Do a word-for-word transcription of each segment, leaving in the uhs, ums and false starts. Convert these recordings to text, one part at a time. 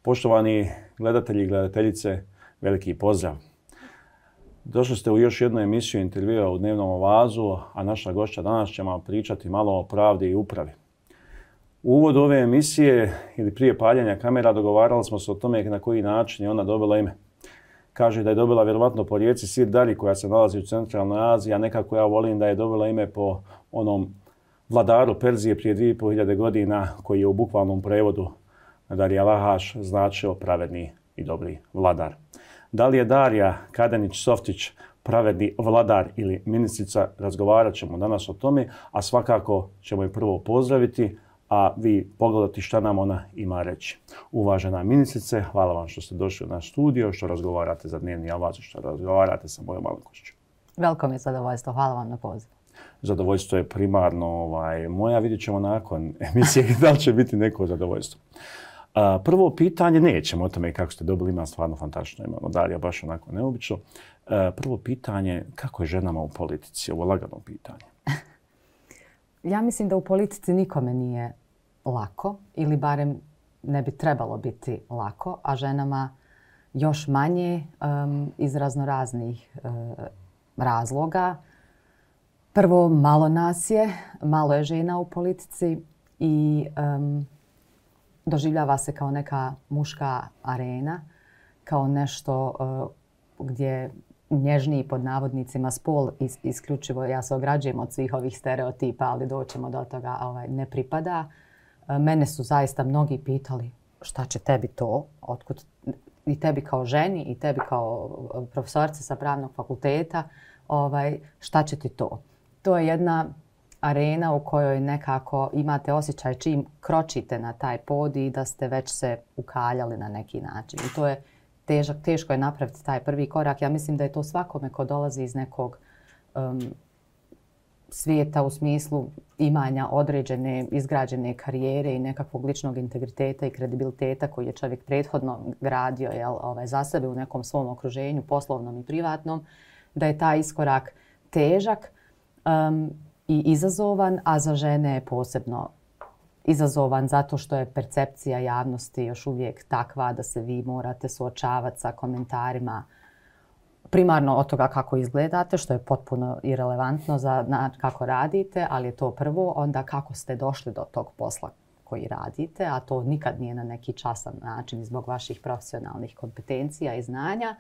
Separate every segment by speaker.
Speaker 1: Poštovani gledatelji i gledateljice, veliki pozdrav. Došli ste u još jednu emisiju intervjua u Dnevnom ovazu, a naša gošća danas će vam pričati malo o pravdi i upravi. U uvodu ove emisije ili prije paljenja kamera dogovarali smo se o tome na koji način je ona dobila ime. Kaže da je dobila vjerovatno po rijeci Sir Dari koja se nalazi u centralnoj Aziji, a nekako ja volim da je dobila ime po onom vladaru Perzije prije dvije i pol hiljade godina koji je u bukvalnom prevodu Darija Lahaš značio pravedni i dobri vladar. Da li je Darija Kadenić-Softić pravedni vladar ili ministrica, razgovarat ćemo danas o tome, a svakako ćemo je prvo pozdraviti, a vi pogledati šta nam ona ima reći. Uvažena ministrice, hvala vam što ste došli u naš studio, što razgovarate za Dnevni avaz, što razgovarate sa mojom malenkošću.
Speaker 2: Veliko mi je zadovoljstvo, hvala vam na pozivu.
Speaker 1: Zadovoljstvo je primarno ovaj, moja, vidjet ćemo nakon emisije da li će biti neko zadovoljstvo. A, prvo pitanje, nećemo o tome kako ste dobili, ima stvarno fantastično ime, Darija baš onako neobično. A, prvo pitanje, kako je ženama u politici? Ovo je lagano pitanje.
Speaker 2: Ja mislim da u politici nikome nije lako ili barem ne bi trebalo biti lako, a ženama još manje um, iz raznoraznih uh, razloga. Prvo, malo nas je, malo je žena u politici i um, doživljava se kao neka muška arena, kao nešto uh, gdje nježniji pod navodnicima spol is, isključivo, ja se ograđujem od svih ovih stereotipa, ali doćemo do toga, ovaj, ne pripada. Uh, mene su zaista mnogi pitali šta će tebi to, otkud, i tebi kao ženi i tebi kao profesorica sa pravnog fakulteta, ovaj, šta će ti to? To je jedna arena u kojoj nekako imate osjećaj čim kročite na taj podij da ste već se ukaljali na neki način. I to je težak, teško je napraviti taj prvi korak. Ja mislim da je to svakome ko dolazi iz nekog um, svijeta u smislu imanja određene, izgrađene karijere i nekakvog ličnog integriteta i kredibiliteta koji je čovjek prethodno gradio jel, ovaj, za sebe u nekom svom okruženju, poslovnom i privatnom, da je taj iskorak težak um, i izazovan, a za žene je posebno izazovan zato što je percepcija javnosti još uvijek takva da se vi morate suočavati sa komentarima primarno od toga kako izgledate, što je potpuno irelevantno za na, kako radite, ali je to prvo, onda kako ste došli do tog posla koji radite, a to nikad nije na neki časan način zbog vaših profesionalnih kompetencija i znanja.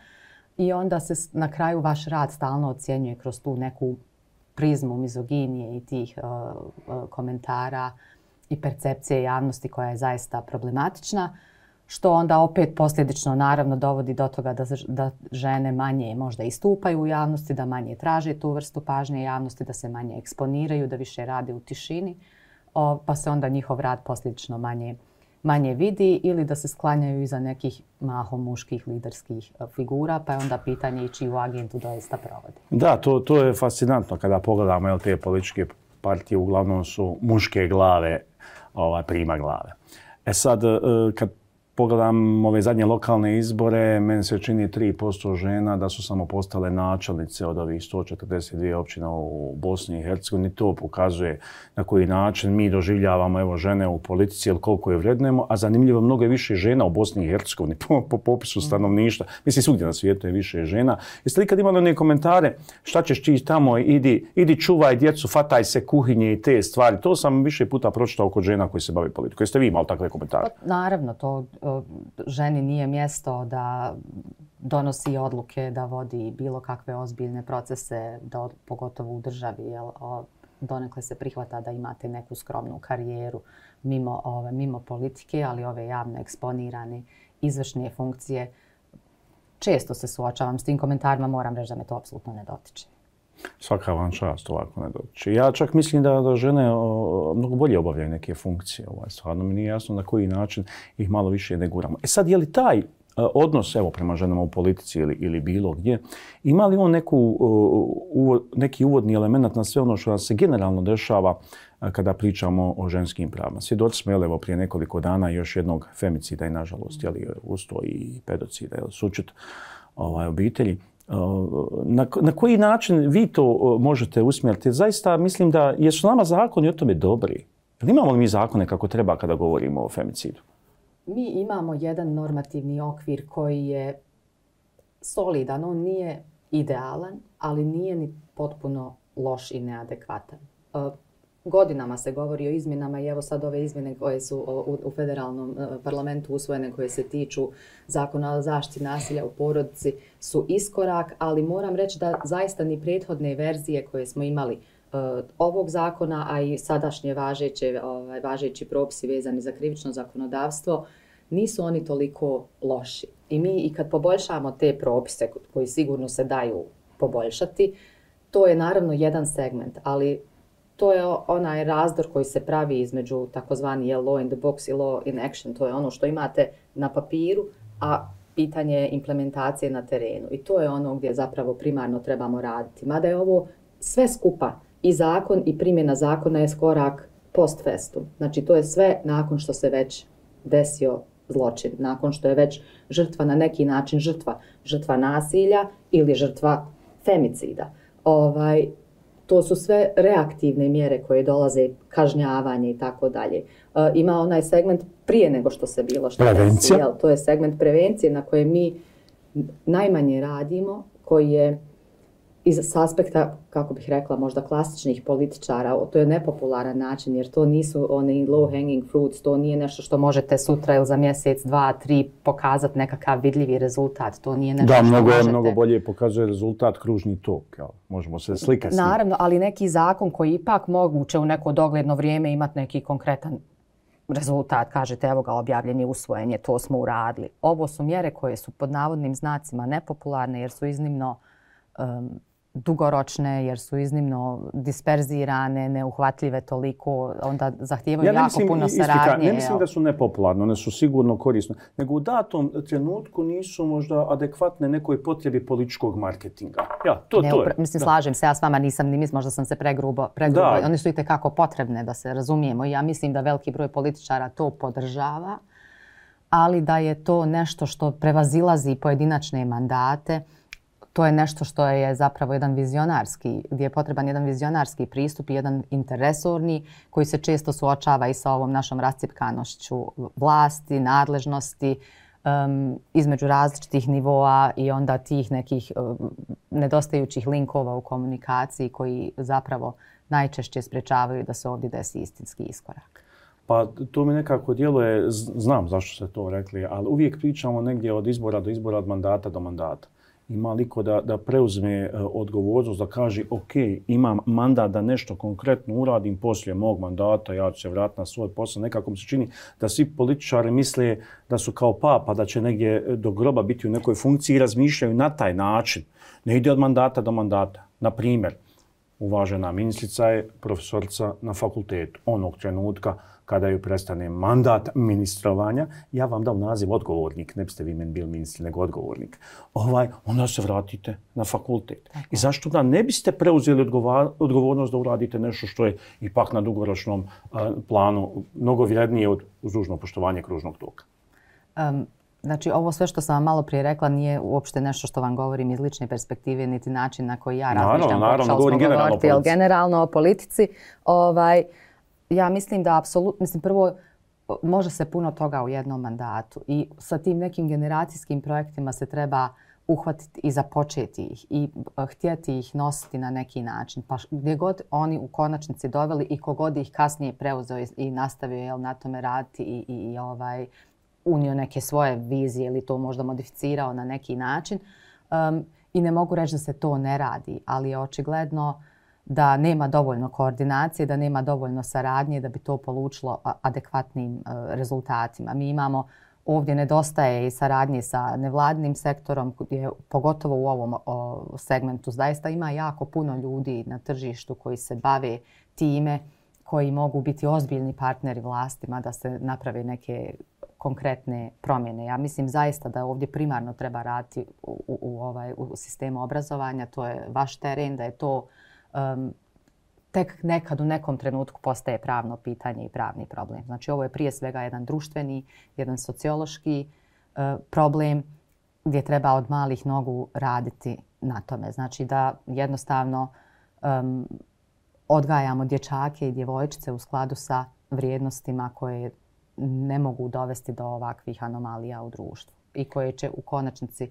Speaker 2: I onda se na kraju vaš rad stalno ocjenjuje kroz tu neku prizmu mizoginije i tih uh, uh, komentara i percepcije javnosti koja je zaista problematična, što onda opet posljedično naravno dovodi do toga da, da žene manje možda istupaju u javnosti, da manje traže tu vrstu pažnje javnosti, da se manje eksponiraju, da više rade u tišini, o, pa se onda njihov rad posljedično manje, manje vidi ili da se sklanjaju iza nekih mahom muških liderskih figura, pa je onda pitanje i čiju agentu doista provodi.
Speaker 1: Da, to, to je fascinantno kada pogledamo jel, te političke partije, uglavnom su muške glave, ovaj, prima glave. E sad, kad pogledam ove zadnje lokalne izbore, meni se čini tri posto žena da su samo postale načelnice od ovih sto četrdeset dvije općina u Bosni i Hercegovini. To pokazuje na koji način mi doživljavamo evo, žene u politici, ili koliko je vrednujemo, a zanimljivo mnogo je više žena u Bosni i Hercegovini po, po popisu stanovništva. Mislim, svugdje na svijetu je više žena. Jeste li kad imali one komentare, šta ćeš ti tamo, idi, idi čuvaj djecu, fataj se kuhinje i te stvari. To sam više puta pročitao kod žena koji se bave politikom. Jeste vi imali takve komentare?
Speaker 2: Pa, naravno, to ženi nije mjesto da donosi odluke, da vodi bilo kakve ozbiljne procese, da, pogotovo u državi. Jel, o, donekle se prihvata da imate neku skromnu karijeru mimo, ove, mimo politike, ali ove javno eksponirane izvršne funkcije. Često se suočavam s tim komentarima, moram reći da me to apsolutno ne dotiče.
Speaker 1: Svaka vam čast ovako ne dotiče. Ja čak mislim da, da žene o, mnogo bolje obavljaju neke funkcije. Ovaj, stvarno mi nije jasno na koji način ih malo više ne guramo. E sad, je li taj uh, odnos evo, prema ženama u politici ili, ili bilo gdje, ima li on neku, uh, uvo, neki uvodni element na sve ono što nas se generalno dešava uh, kada pričamo o ženskim pravima? Svjedoci smo evo, prije nekoliko dana još jednog femicida i nažalost jeli, usto i pedocida, jeli, sućut ovaj, obitelji. Na, na koji način vi to možete usmjeriti? Zaista mislim da jesu nama zakoni o tome dobri. Imamo li mi zakone kako treba kada govorimo o femicidu?
Speaker 2: Mi imamo jedan normativni okvir koji je solidan. On nije idealan, ali nije ni potpuno loš i neadekvatan. Godinama se govori o izmjenama i evo sad ove izmjene koje su u federalnom parlamentu usvojene, koje se tiču zakona o zaštiti nasilja u porodici, su iskorak, ali moram reći da zaista ni prethodne verzije koje smo imali ovog zakona, a i sadašnje važeće, ovaj, važeći propisi vezani za krivično zakonodavstvo, nisu oni toliko loši. I mi i kad poboljšamo te propise koji sigurno se daju poboljšati, to je naravno jedan segment, ali to je onaj razdor koji se pravi između takozvani law in the box i law in action. To je ono što imate na papiru, a pitanje je implementacije na terenu. I to je ono gdje zapravo primarno trebamo raditi. Mada je ovo sve skupa, i zakon i primjena zakona je korak post festum. Znači to je sve nakon što se već desio zločin, nakon što je već žrtva na neki način žrtva, žrtva nasilja ili žrtva femicida. Ovaj, to su sve reaktivne mjere koje dolaze, kažnjavanje i tako dalje. Ima onaj segment prije nego što se bilo što
Speaker 1: prevencija.
Speaker 2: Desi, to je segment prevencije na koje mi najmanje radimo, koji je iz aspekta, kako bih rekla, možda klasičnih političara, to je nepopularan način jer to nisu oni low hanging fruits, to nije nešto što možete sutra ili za mjesec, dva, tri pokazati nekakav vidljivi rezultat. To nije nešto
Speaker 1: da,
Speaker 2: što
Speaker 1: mnogo,
Speaker 2: možete...
Speaker 1: mnogo bolje pokazuje rezultat kružni tok. Jel? Možemo se slikati s njim.
Speaker 2: Naravno, ali neki zakon koji ipak moguće u neko dogledno vrijeme imati neki konkretan rezultat, kažete evo ga objavljen je, usvojen je, to smo uradili. Ovo su mjere koje su pod navodnim znacima nepopularne jer su iznimno um, dugoročne, jer su iznimno disperzirane, neuhvatljive toliko, onda zahtijevaju
Speaker 1: ja
Speaker 2: jako
Speaker 1: mislim,
Speaker 2: puno
Speaker 1: istika,
Speaker 2: saradnje.
Speaker 1: Ne mislim da su nepopularne, one su sigurno korisne, nego u datom trenutku nisu možda adekvatne nekoj potrebi političkog marketinga. Ja, to,
Speaker 2: ne,
Speaker 1: to je.
Speaker 2: Mislim,
Speaker 1: da.
Speaker 2: slažem se, ja s vama nisam ni mislim, možda sam se pregrubo, pregrubo.
Speaker 1: Da.
Speaker 2: One su itekako potrebne da se razumijemo i ja mislim da veliki broj političara to podržava, ali da je to nešto što prevazilazi pojedinačne mandate. To je nešto što je zapravo jedan vizionarski, gdje je potreban jedan vizionarski pristup i jedan interresorni koji se često suočava i sa ovom našom rascjepkanošću vlasti, nadležnosti um, između različitih nivoa i onda tih nekih um, nedostajućih linkova u komunikaciji koji zapravo najčešće sprečavaju da se ovdje desi istinski iskorak.
Speaker 1: Pa to mi nekako djeluje, znam zašto ste to rekli, ali uvijek pričamo negdje od izbora do izbora, od mandata do mandata. Ima liko da, da preuzme uh, odgovornost, da kaže ok, imam mandat da nešto konkretno uradim poslije mog mandata, ja ću se vratiti na svoj posao. Nekako mi se čini da svi političari misle da su kao papa, da će negdje do groba biti u nekoj funkciji i razmišljaju na taj način. Ne ide od mandata do mandata. Na primjer, uvažena ministrica je profesorica na fakultetu. Onog trenutka kada ju prestane mandat ministrovanja, ja vam dam naziv odgovornik, ne biste vi meni bili ministri, nego odgovornik. Ovaj, onda se vratite na fakultet. I zašto da ne biste preuzeli odgovornost da uradite nešto što je ipak na dugoročnom uh, planu mnogo vrijednije od uz dužno poštovanje kružnog toka?
Speaker 2: Um. Znači, ovo sve što sam vam malo prije rekla nije uopšte nešto što vam govorim iz lične perspektive, niti način na koji ja razmišljam.
Speaker 1: Naravno, naravno, govorim generalno o politici.
Speaker 2: Generalno o politici. Ovaj, ja mislim da apsolutno, mislim prvo, može se puno toga u jednom mandatu i sa tim nekim generacijskim projektima se treba uhvatiti i započeti ih i htjeti ih nositi na neki način. Pa gdje god oni u konačnici doveli i kogod ih kasnije preuzeo i nastavio jel, na tome raditi i, i, i ovaj, unio neke svoje vizije ili to možda modificirao na neki način. Um, I ne mogu reći da se to ne radi, ali je očigledno da nema dovoljno koordinacije, da nema dovoljno saradnje da bi to polučilo adekvatnim uh, rezultatima. Mi imamo ovdje nedostaje i saradnje sa nevladinim sektorom, gdje pogotovo u ovom o, segmentu zaista ima jako puno ljudi na tržištu koji se bave time, koji mogu biti ozbiljni partneri vlastima da se naprave neke konkretne promjene. Ja mislim zaista da ovdje primarno treba raditi u, u, u, ovaj, u sistemu obrazovanja. To je vaš teren, da je to um, tek nekad u nekom trenutku postaje pravno pitanje i pravni problem. Znači ovo je prije svega jedan društveni, jedan sociološki uh, problem gdje treba od malih nogu raditi na tome. Znači da jednostavno um, odgajamo dječake i djevojčice u skladu sa vrijednostima koje ne mogu dovesti do ovakvih anomalija u društvu i koje će u konačnici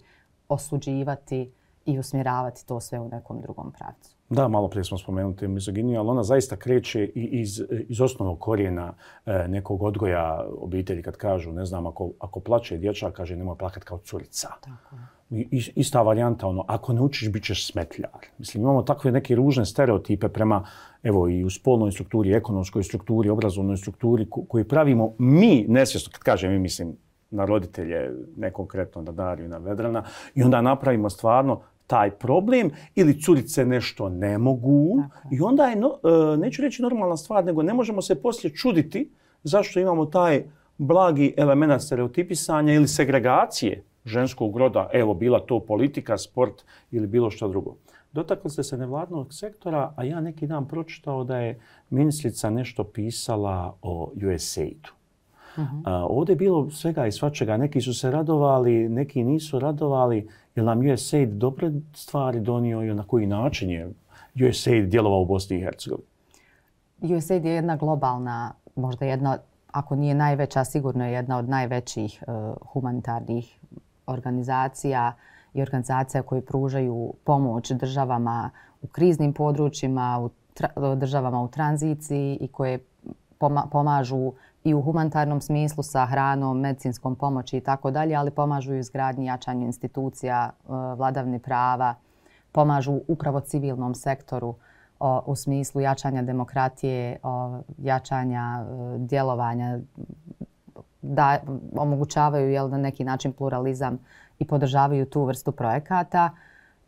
Speaker 2: osuđivati i usmjeravati to sve u nekom drugom pravcu.
Speaker 1: Da, malo prije smo spomenuti mizoginiju, ali ona zaista kreće i iz, iz osnovnog korijena e, nekog odgoja obitelji kad kažu, ne znam, ako, ako plače dječak, kaže nemoj plakat kao curica.
Speaker 2: Tako.
Speaker 1: I, ista varijanta, ono, ako ne učiš, bit ćeš smetljar. Mislim, imamo takve neke ružne stereotipe prema, evo, i u spolnoj strukturi, ekonomskoj strukturi, obrazovnoj strukturi, ko, koji pravimo mi nesvjesno, kad kažem mi, mislim, na roditelje, ne konkretno na Dariju i na Vedrana, i onda napravimo stvarno taj problem ili curice nešto ne mogu. Tako. I onda je, no, neću reći normalna stvar, nego ne možemo se poslije čuditi zašto imamo taj blagi element stereotipisanja ili segregacije ženskog roda, evo bila to politika, sport ili bilo što drugo. Dotakli ste se nevladnog sektora, a ja neki dan pročitao da je ministrica nešto pisala o U S A I D-u. Uh-huh. A, ovdje je bilo svega i svačega. Neki su se radovali, neki nisu radovali. Je li nam U S A I D dobre stvari donio i na koji način je U S A I D djelovao u Bosni i Hercegovini?
Speaker 2: U S A I D je jedna globalna, možda jedna, ako nije najveća, sigurno je jedna od najvećih uh, humanitarnih organizacija i organizacija koje pružaju pomoć državama u kriznim područjima, u tra- državama u tranziciji i koje poma- pomažu i u humanitarnom smislu sa hranom, medicinskom pomoći i tako dalje, ali pomažu i u izgradnji, jačanju institucija, vladavini prava, pomažu upravo civilnom sektoru u smislu jačanja demokratije, jačanja djelovanja, da omogućavaju jel, na neki način pluralizam i podržavaju tu vrstu projekata.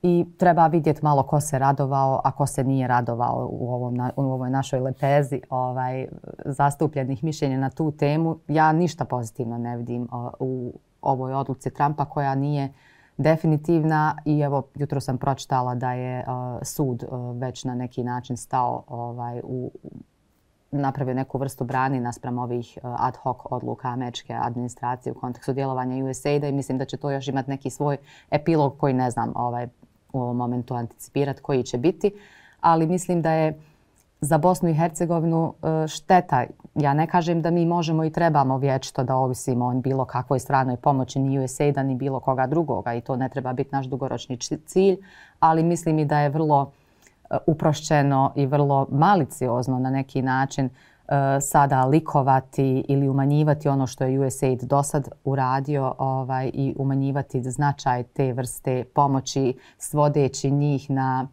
Speaker 2: I treba vidjeti malo ko se radovao, a ko se nije radovao u, ovom, u ovoj našoj lepezi ovaj, zastupljenih mišljenja na tu temu. Ja ništa pozitivno ne vidim o, u ovoj odluci Trumpa koja nije definitivna i evo jutro sam pročitala da je o, sud o, već na neki način stao ovaj, u napravio neku vrstu brani naspram ovih ad hoc odluka američke administracije u kontekstu djelovanja U S A I D-a i mislim da će to još imati neki svoj epilog koji ne znam ovaj, u ovom momentu anticipirati koji će biti. Ali mislim da je za Bosnu i Hercegovinu šteta. Ja ne kažem da mi možemo i trebamo vječito da ovisimo o bilo kakvoj stranoj pomoći ni U S A I D-a ni bilo koga drugoga i to ne treba biti naš dugoročni cilj, ali mislim i da je vrlo uprošćeno i vrlo maliciozno na neki način uh, sada likovati ili umanjivati ono što je U S A I D do sad uradio ovaj, i umanjivati značaj te vrste pomoći svodeći njih na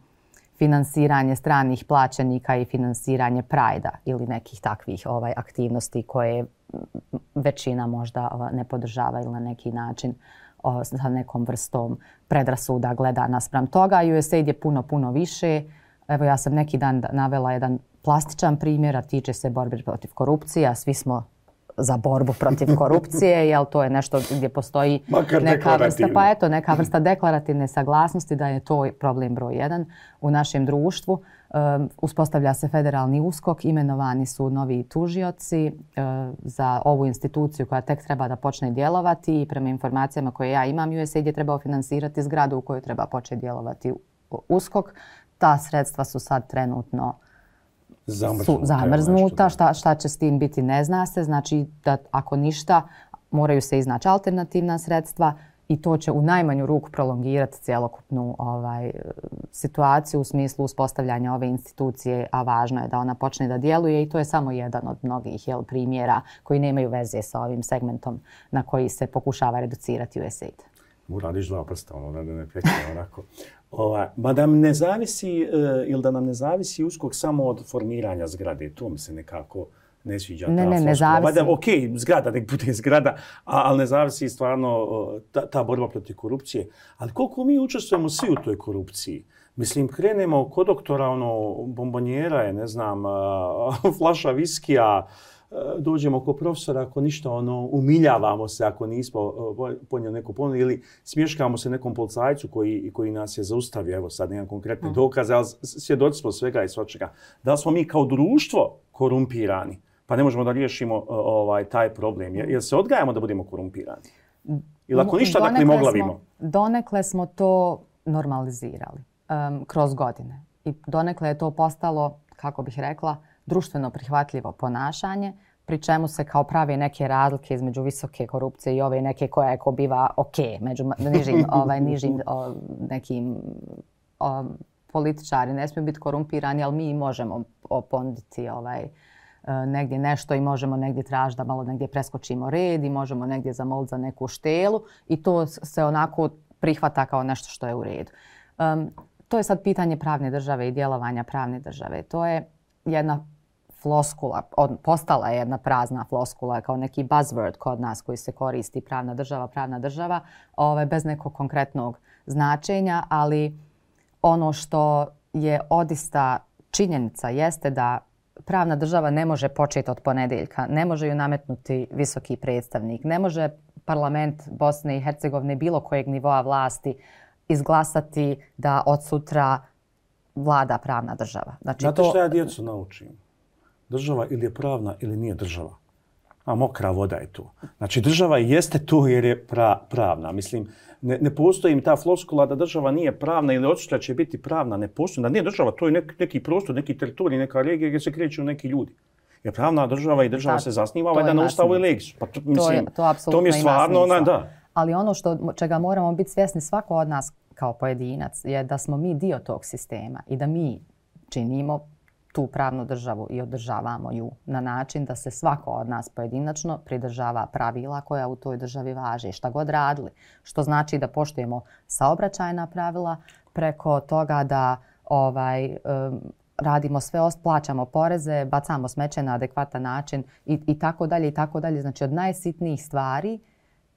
Speaker 2: finansiranje stranih plaćenika i finansiranje Prajda ili nekih takvih ovaj, aktivnosti koje većina možda ne podržava ili na neki način o, sa nekom vrstom predrasuda gleda naspram toga. U S A I D je puno, puno više. Evo ja sam neki dan navela jedan plastičan primjer, a tiče se borbe protiv korupcije, a svi smo za borbu protiv korupcije, jel to je nešto gdje postoji neka vrsta, pa eto, neka vrsta deklarativne saglasnosti da je to problem broj jedan u našem društvu. Um, uspostavlja se federalni uskok, imenovani su novi tužioci uh, za ovu instituciju koja tek treba da počne djelovati i prema informacijama koje ja imam, U S A I D je trebao finansirati zgradu u kojoj treba početi djelovati uskok. Ta sredstva su sad trenutno su zamrznuta. Šta, šta će s tim biti ne zna se. Znači da ako ništa moraju se iznaći alternativna sredstva i to će u najmanju ruku prolongirati cjelokupnu ovaj, situaciju u smislu uspostavljanja ove institucije, a važno je da ona počne da djeluje i to je samo jedan od mnogih jel, primjera koji nemaju veze sa ovim segmentom na koji se pokušava reducirati U S A I D.
Speaker 1: Uradiš dva prsta, ono, da ne prekne onako. Ova, ma da nam ne zavisi, uh, ili da nam ne zavisi uskok samo od formiranja zgrade, to mi se nekako ne sviđa.
Speaker 2: Ne,
Speaker 1: ta
Speaker 2: ne, ne zavisi.
Speaker 1: Da, ok, zgrada, nek bude zgrada, a, ali ne zavisi stvarno uh, ta, ta borba protiv korupcije. Ali koliko mi učestvujemo svi u toj korupciji? Mislim, krenemo kod doktora, ono, bombonjera je, ne znam, uh, flaša viskija, dođemo kod profesora, ako ništa, ono, umiljavamo se ako nismo uh, ponijeli neku ponudu ili smješkamo se nekom policajcu koji, koji nas je zaustavio. Evo sad nemam konkretne dokaze, ali svjedoci smo svega i svačega. Da li smo mi kao društvo korumpirani, pa ne možemo da riješimo uh, ovaj, taj problem? Jer, jer se odgajamo da budemo korumpirani? Ili ako ništa, dakle, moglavimo?
Speaker 2: Donekle smo to normalizirali um, kroz godine. I donekle je to postalo, kako bih rekla, društveno prihvatljivo ponašanje, pri čemu se kao prave neke razlike između visoke korupcije i ove neke koja je ko biva ok, među nižim, ovaj, nižim o, nekim o, političari ne smiju biti korumpirani, ali mi možemo ponuditi ovaj, negdje nešto i možemo negdje tražiti da malo negdje preskočimo red i možemo negdje zamoliti za neku štelu i to se onako prihvata kao nešto što je u redu. Um, to je sad pitanje pravne države i djelovanja pravne države. To je jedna floskula, od, postala je jedna prazna floskula kao neki buzzword kod nas koji se koristi pravna država, pravna država, ovaj, bez nekog konkretnog značenja, ali ono što je odista činjenica jeste da pravna država ne može početi od ponedjeljka, ne može ju nametnuti visoki predstavnik, ne može parlament Bosne i Hercegovine bilo kojeg nivoa vlasti izglasati da od sutra vlada pravna država.
Speaker 1: Znači, znate to... što ja djecu naučim? Država ili je pravna ili nije država. A mokra voda je tu. Znači država jeste tu jer je pra, pravna. Mislim, ne, ne postoji im ta floskula da država nije pravna ili od sutra će biti pravna. Ne postoji. Da nije država, to je nek, neki prostor, neki teritorij, neka regija gdje se kreću neki ljudi. Jer pravna država i država da, se zasniva ovaj na ustavu i legsu. Pa to, mislim,
Speaker 2: to, je, to,
Speaker 1: to mi je stvarno ona, da.
Speaker 2: Ali ono što, čega moramo biti svjesni svako od nas kao pojedinac je da smo mi dio tog sistema i da mi činimo tu pravnu državu i održavamo ju na način da se svako od nas pojedinačno pridržava pravila koja u toj državi važe, šta god radili. Što znači da poštujemo saobraćajna pravila preko toga da ovaj, um, radimo sve, plaćamo poreze, bacamo smeće na adekvatan način i, i tako dalje i tako dalje. Znači od najsitnijih stvari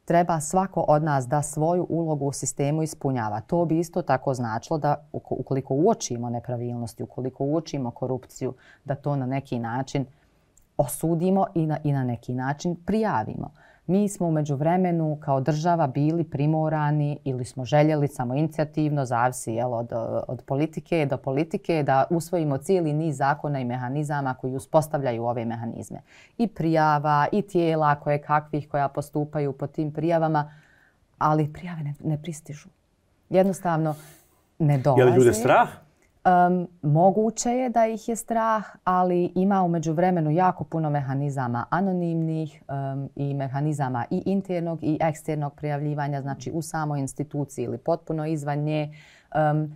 Speaker 2: treba svako od nas da svoju ulogu u sistemu ispunjava. To bi isto tako značilo da ukoliko uočimo nepravilnosti, ukoliko uočimo korupciju, da to na neki način osudimo i na, i na neki način prijavimo. Mi smo u međuvremenu kao država bili primorani ili smo željeli samoinicijativno, zavisi jel, od, od politike do politike, da usvojimo cijeli niz zakona i mehanizama koji uspostavljaju ove mehanizme. I prijava, i tijela koje kakvih koja postupaju po tim prijavama, ali prijave ne, ne pristižu. Jednostavno ne dolaze.
Speaker 1: Je li ljude strah?
Speaker 2: Um, moguće je da ih je strah, ali ima u međuvremenu jako puno mehanizama anonimnih um, i mehanizama i internog i eksternog prijavljivanja, znači u samoj instituciji ili potpuno izvan nje. Um,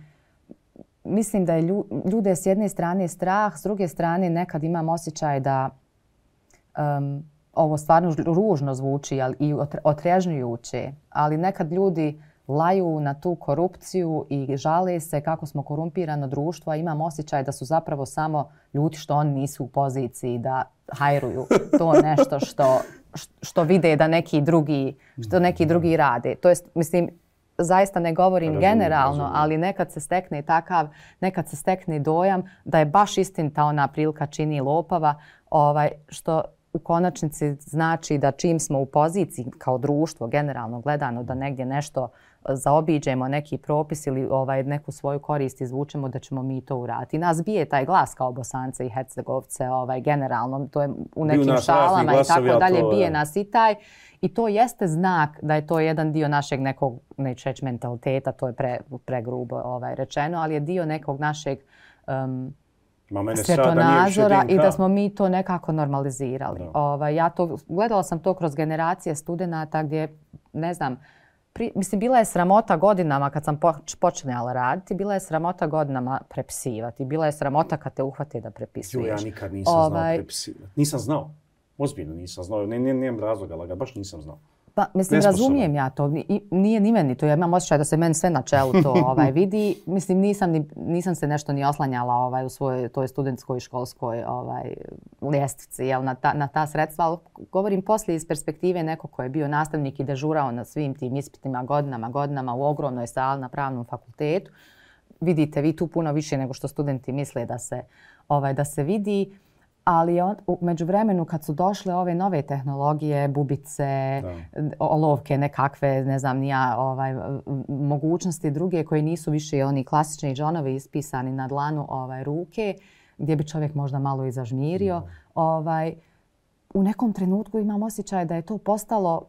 Speaker 2: mislim da je ljude s jedne strane strah, s druge strane nekad imam osjećaj da um, ovo stvarno ružno zvuči ali i otrežnjujuće, ali nekad ljudi laju na tu korupciju i žale se kako smo korumpirano društvo, a imam osjećaj da su zapravo samo ljudi što oni nisu u poziciji da hajruju to nešto što, što vide da neki drugi, što neki drugi rade. To jest, mislim, zaista ne govorim razumim, generalno, razumim. Ali nekad se stekne takav, nekad se stekne dojam da je baš istinita ona prilika čini lopava, ovaj, što u konačnici znači da čim smo u poziciji kao društvo generalno gledano da negdje nešto zaobiđemo, neki propis ili ovaj, neku svoju korist izvučemo da ćemo mi to uraditi. Nas bije taj glas kao Bosance i Hercegovce ovaj, generalno, to je u nekim šalama i tako dalje, to, bije nas i taj. I to jeste znak da je to jedan dio našeg nekog, neću reći mentaliteta, to je pre, pregrubo ovaj, rečeno, ali je dio nekog našeg um, svjetonazora i da smo mi to nekako normalizirali. Ovaj, ja to, gledala sam to kroz generacije studenata gdje, ne znam, pri, mislim, bila je sramota godinama kad sam počinjala raditi, bila je sramota godinama prepisivati, bila je sramota kad te uhvate da prepisuješ.
Speaker 1: Jo, ja nikad nisam ovaj, znao prepisivati. Nisam znao. Ozbiljno nisam znao. Ne, ne, nemam razloga, ali ga baš nisam znao.
Speaker 2: Pa, mislim, razumijem ja to. I, nije ni meni to. Ja imam osjećaj da se meni sve na čelu to ovaj, vidi. Mislim, nisam, ni, nisam se nešto ni oslanjala ovaj, u svojoj toj studentskoj školskoj ovaj, ljestvici jel, na, ta, na ta sredstva. Ali govorim poslije iz perspektive neko ko je bio nastavnik i dežurao na svim tim ispitima godinama, godinama u ogromnoj sali na pravnom fakultetu. Vidite vi tu puno više nego što studenti misle da se, ovaj, da se vidi. Ali on, u međuvremenu kad su došle ove nove tehnologije, bubice, da. olovke nekakve, ne znam nija, ovaj, mogućnosti druge koje nisu više oni klasični džonovi ispisani na dlanu ovaj, ruke, gdje bi čovjek možda malo i zažmirio. Ovaj, u nekom trenutku imam osjećaj da je to postalo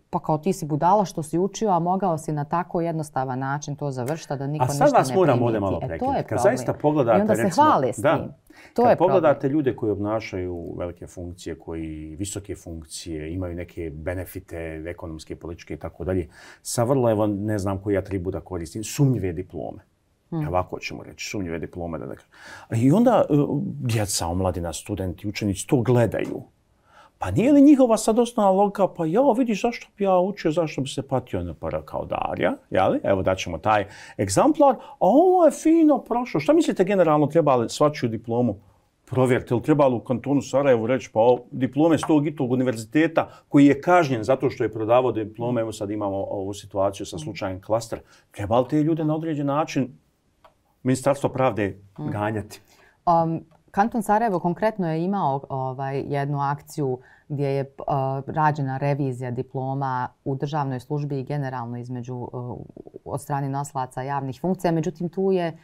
Speaker 2: pa kao ti si budala što si učio, a mogao si na tako jednostavan način to završiti, da niko ništa ne primiti.
Speaker 1: A sad vas moram ovdje malo prekrenuti. Kad zaista pogledate,
Speaker 2: i onda se
Speaker 1: recimo,
Speaker 2: hvale s tim.
Speaker 1: Da,
Speaker 2: to
Speaker 1: kad
Speaker 2: je
Speaker 1: pogledate
Speaker 2: problem.
Speaker 1: ljude koji obnašaju velike funkcije, koji visoke funkcije, imaju neke benefite ekonomske, političke i tako dalje, sa vrlo, evo, ne znam koji atribut da koristim, sumnjive diplome. Hmm. Ovako ćemo reći, sumnjive diplome. Da nekako. I onda uh, djeca, omladina, studenti, učenici to gledaju. Pa nije li njihova sad osnovna logika, pa ja vidiš zašto bi ja učio, zašto bi se patio na para kao Darija, jeli? Evo daćemo taj egzamplar, a ovo je fino prošlo. Šta mislite generalno trebali svačiju diplomu provjeriti? Ili trebali u kantonu Sarajevu reći, pa o, diplome s tog i tog univerziteta koji je kažnjen zato što je prodavao diplome, evo sad imamo ovu situaciju sa slučajem Klaster, trebali te ljude na određen način Ministarstvo pravde ganjati?
Speaker 2: Um, Kanton Sarajevo konkretno je imao ovaj, jednu akciju gdje je uh, rađena revizija diploma u državnoj službi i generalno između uh, od strane nosilaca javnih funkcija. Međutim, tu je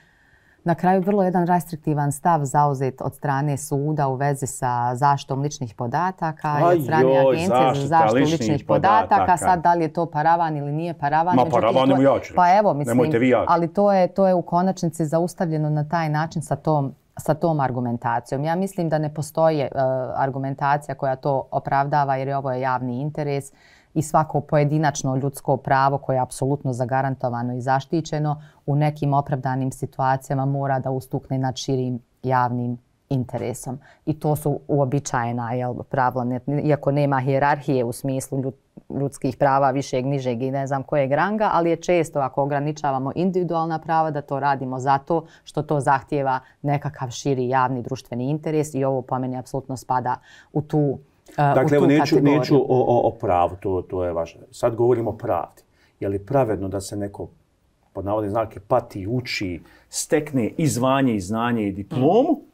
Speaker 2: na kraju vrlo jedan restriktivan stav zauzet od strane suda u vezi sa zaštitom ličnih podataka
Speaker 1: Aj,
Speaker 2: i od strane
Speaker 1: joj,
Speaker 2: Agencije za zaštitu ličnih, ličnih podataka.
Speaker 1: podataka.
Speaker 2: Sad, da li je to paravan ili nije paravan?
Speaker 1: Ma
Speaker 2: Međutim,
Speaker 1: paravan
Speaker 2: to,
Speaker 1: ja ću
Speaker 2: pa evo, mislim,
Speaker 1: nemojte vi ja.
Speaker 2: Ali to je, to je u konačnici zaustavljeno na taj način sa tom sa tom argumentacijom. Ja mislim da ne postoji uh, argumentacija koja to opravdava jer je ovo je javni interes i svako pojedinačno ljudsko pravo koje je apsolutno zagarantovano i zaštićeno u nekim opravdanim situacijama mora da ustukne nad širim javnim interesom. I to su uobičajena jel, pravila, iako nema hijerarhije u smislu ljud, ljudskih prava višeg, nižeg i ne znam kojeg ranga, ali je često ako ograničavamo individualna prava da to radimo zato što to zahtijeva nekakav širi javni društveni interes i ovo po meni apsolutno spada u tu uh,
Speaker 1: Dakle,
Speaker 2: u tu
Speaker 1: neću,
Speaker 2: kategoriju.
Speaker 1: neću o, o, o pravu, to, to je važno. Sad govorimo o pravdi. Je li pravedno da se neko pod navodne znake pati, uči, stekne i zvanje i znanje i diplomu, mm.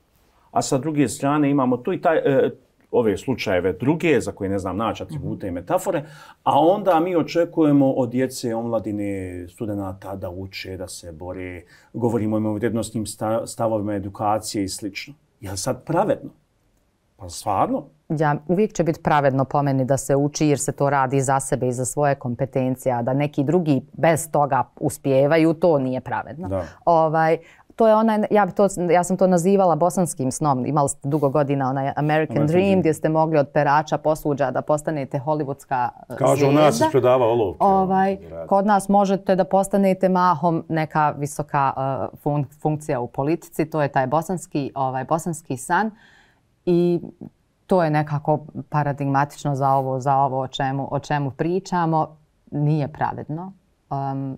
Speaker 1: a sa druge strane imamo tu i taj, e, ove slučajeve druge, za koje ne znam naći atribute i metafore, a onda mi očekujemo od djece, omladine, studenata da uče, da se bore, govorimo o vrijednosnim stavovima edukacije i slično. Je li sad pravedno? Pa stvarno?
Speaker 2: Ja, uvijek će biti pravedno po meni da se uči jer se to radi za sebe i za svoje kompetencije, a da neki drugi bez toga uspijevaju, to nije pravedno.
Speaker 1: Da.
Speaker 2: Ovaj, to je onaj, ja, to, ja sam to nazivala bosanskim snom. Imali ste dugo godina onaj American, American Dream, Dream gdje ste mogli od perača posuđa da postanete hollywoodska zvijezda.
Speaker 1: Kažu u nas ispredava olovke.
Speaker 2: Ovaj, kod nas možete da postanete mahom neka visoka uh, fun, funkcija u politici. To je taj bosanski, ovaj, bosanski san. I to je nekako paradigmatično za ovo, za ovo o čemu, o čemu pričamo. Nije pravedno. Um,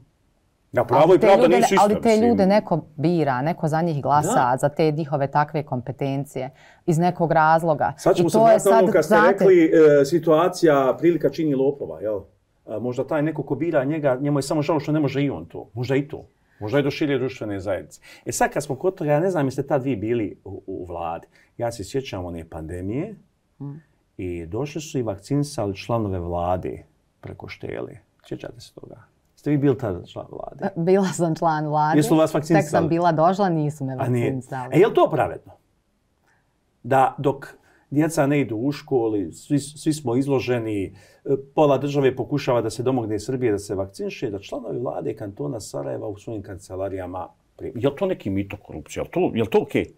Speaker 1: Ja, pravo i pravda
Speaker 2: ljude,
Speaker 1: nisu isto.
Speaker 2: Ali te
Speaker 1: mislim.
Speaker 2: ljude neko bira, neko za njih glasa, da. Za te njihove takve kompetencije iz nekog razloga.
Speaker 1: Sad ćemo
Speaker 2: I
Speaker 1: se
Speaker 2: to je
Speaker 1: sad, ono kad ste
Speaker 2: znate,
Speaker 1: rekli e, situacija prilika čini lopova, jel? A, možda taj neko ko bira njega, njemu je samo žao što ne može i on to. Možda i to. Možda i do šire društvene zajednice. E sad kad smo kod toga, ja ne znam jeste tad vi bili u, u vladi. Ja se sjećam one pandemije hmm. i došli su i vakcinisali članove vlade preko štele. Sjećate se toga? Ste vi bili tada član vlade?
Speaker 2: Bila sam član vlade.
Speaker 1: Jesu vas vakcinisali?
Speaker 2: Tek sam bila došla, nisu me vakcinisali.
Speaker 1: E, je li to pravedno? Da dok djeca ne idu u školi, svi, svi smo izloženi, pola države pokušava da se domogne Srbije da se vakciniše, da članovi vlade kantona Sarajeva u svojim kancelarijama primi. Je li to neki mito korupcija? Je li to, je li to okej? Okay?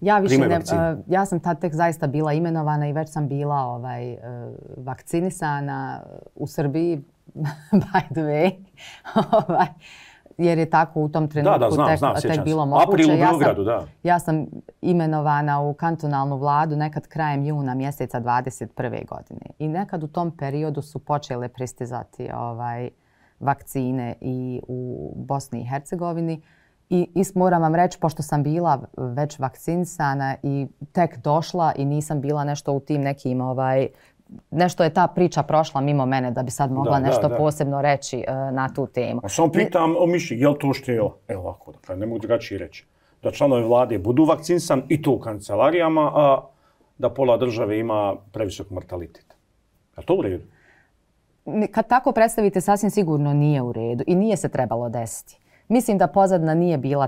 Speaker 2: Ja, više ne, uh, ja sam tad tek zaista bila imenovana i već sam bila ovaj, uh, vakcinisana u Srbiji, by the way, ovaj, jer je tako u tom trenutku
Speaker 1: da, da, znam,
Speaker 2: tek,
Speaker 1: znam,
Speaker 2: tek bilo moguće.
Speaker 1: April u Beogradu,
Speaker 2: ja sam,
Speaker 1: da.
Speaker 2: Ja sam imenovana u kantonalnu vladu nekad krajem juna mjeseca dvadeset prve godine. I nekad u tom periodu su počele pristizati ovaj, vakcine i u Bosni i Hercegovini. I, I moram vam reći, pošto sam bila već vakcinisana i tek došla i nisam bila nešto u tim nekim, ovaj, nešto je ta priča prošla mimo mene da bi sad mogla da, nešto da, da. posebno reći uh, na tu temu.
Speaker 1: A samo pitam o mišljenju, je li to što je, evo ovako, dakle, ne mogu drugačije reći, da članovi vlade budu vakcinisan i to u kancelarijama, a da pola države ima previsok mortalitet. Je li to u redu?
Speaker 2: Kad tako predstavite, sasvim sigurno nije u redu i nije se trebalo desiti. Mislim da pozadna nije bila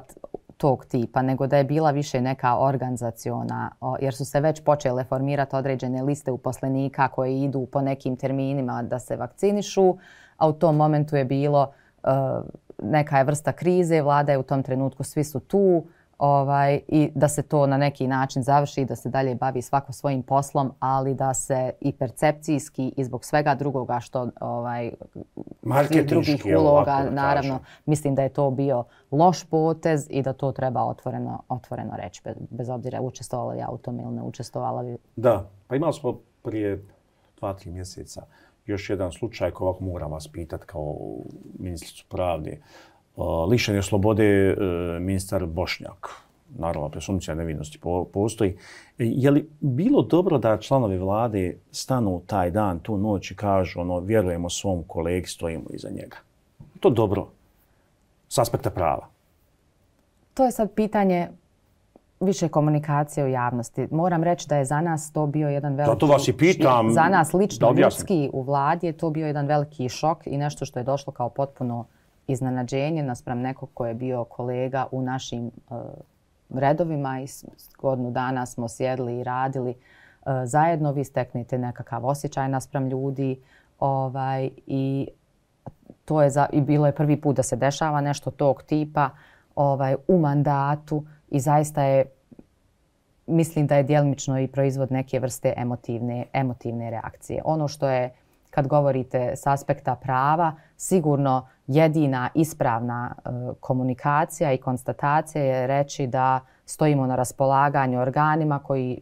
Speaker 2: tog tipa, nego da je bila više neka organizaciona, jer su se već počele formirati određene liste uposlenika koji idu po nekim terminima da se vakcinišu, a u tom momentu je bilo neka je vrsta krize, vlada je u tom trenutku, svi su tu, ovaj, i da se to na neki način završi, da se dalje bavi svako svojim poslom, ali da se i percepcijski i zbog svega drugoga što ovaj, svih drugih uloga, naravno, kažem. Mislim da je to bio loš potez i da to treba otvoreno, otvoreno reći, bez, bez obzira učestvovala ja u tom ili ne učestvovala.
Speaker 1: Da, pa imali smo prije dva, tri mjeseca još jedan slučaj koji ovako moram vas pitati kao ministricu pravde. Lišen je slobode ministar Bošnjak. Naravno, presumpcija nevinosti postoji. Je li bilo dobro da članovi vlade stanu taj dan, tu noć i kažu ono, vjerujemo svom kolegi, stojimo iza njega? To dobro s aspekta prava.
Speaker 2: To je sad pitanje više komunikacije u javnosti. Moram reći da je za nas to bio jedan veliki...
Speaker 1: Zato vas i pitam.
Speaker 2: Za nas lično ljudski u vladi je to bio jedan veliki šok i nešto što je došlo kao potpuno iznenađenje naspram nekog ko je bio kolega u našim uh, redovima i godinu dana smo sjedli i radili uh, zajedno. Vi steknete nekakav osjećaj naspram ljudi ovaj, i to je za, i bilo je prvi put da se dešava nešto tog tipa ovaj, u mandatu i zaista je, mislim da je djelimično i proizvod neke vrste emotivne, emotivne reakcije. Ono što je, kad govorite s aspekta prava, sigurno jedina ispravna e, komunikacija i konstatacija je reći da stojimo na raspolaganju organima koji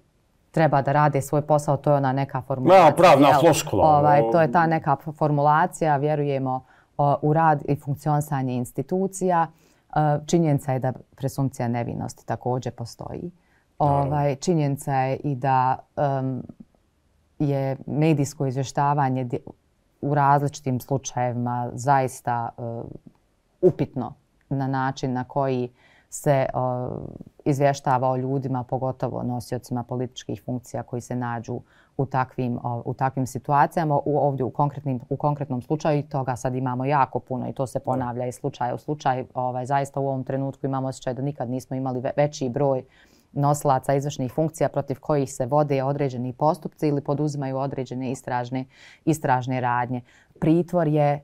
Speaker 2: treba da rade svoj posao. To je ona neka formulacija.
Speaker 1: Ja, pravna floskula.
Speaker 2: Ovaj, to je ta neka formulacija. Vjerujemo o, u rad i funkcionisanje institucija. E, činjenica je da presumpcija nevinosti također postoji. Ovaj, činjenica je i da um, je medijsko izvještavanje u različitim slučajevima zaista uh, upitno na način na koji se uh, izvještava o ljudima, pogotovo nosiocima političkih funkcija koji se nađu u takvim, uh, u takvim situacijama. U, ovdje u, u konkretnom slučaju toga sad imamo jako puno i to se ponavlja iz slučaja u slučaj. Ovaj, zaista u ovom trenutku imamo osjećaj da nikad nismo imali ve- veći broj nosilaca izvršnih funkcija protiv kojih se vode određeni postupci ili poduzimaju određene istražne, istražne radnje. Pritvor je e,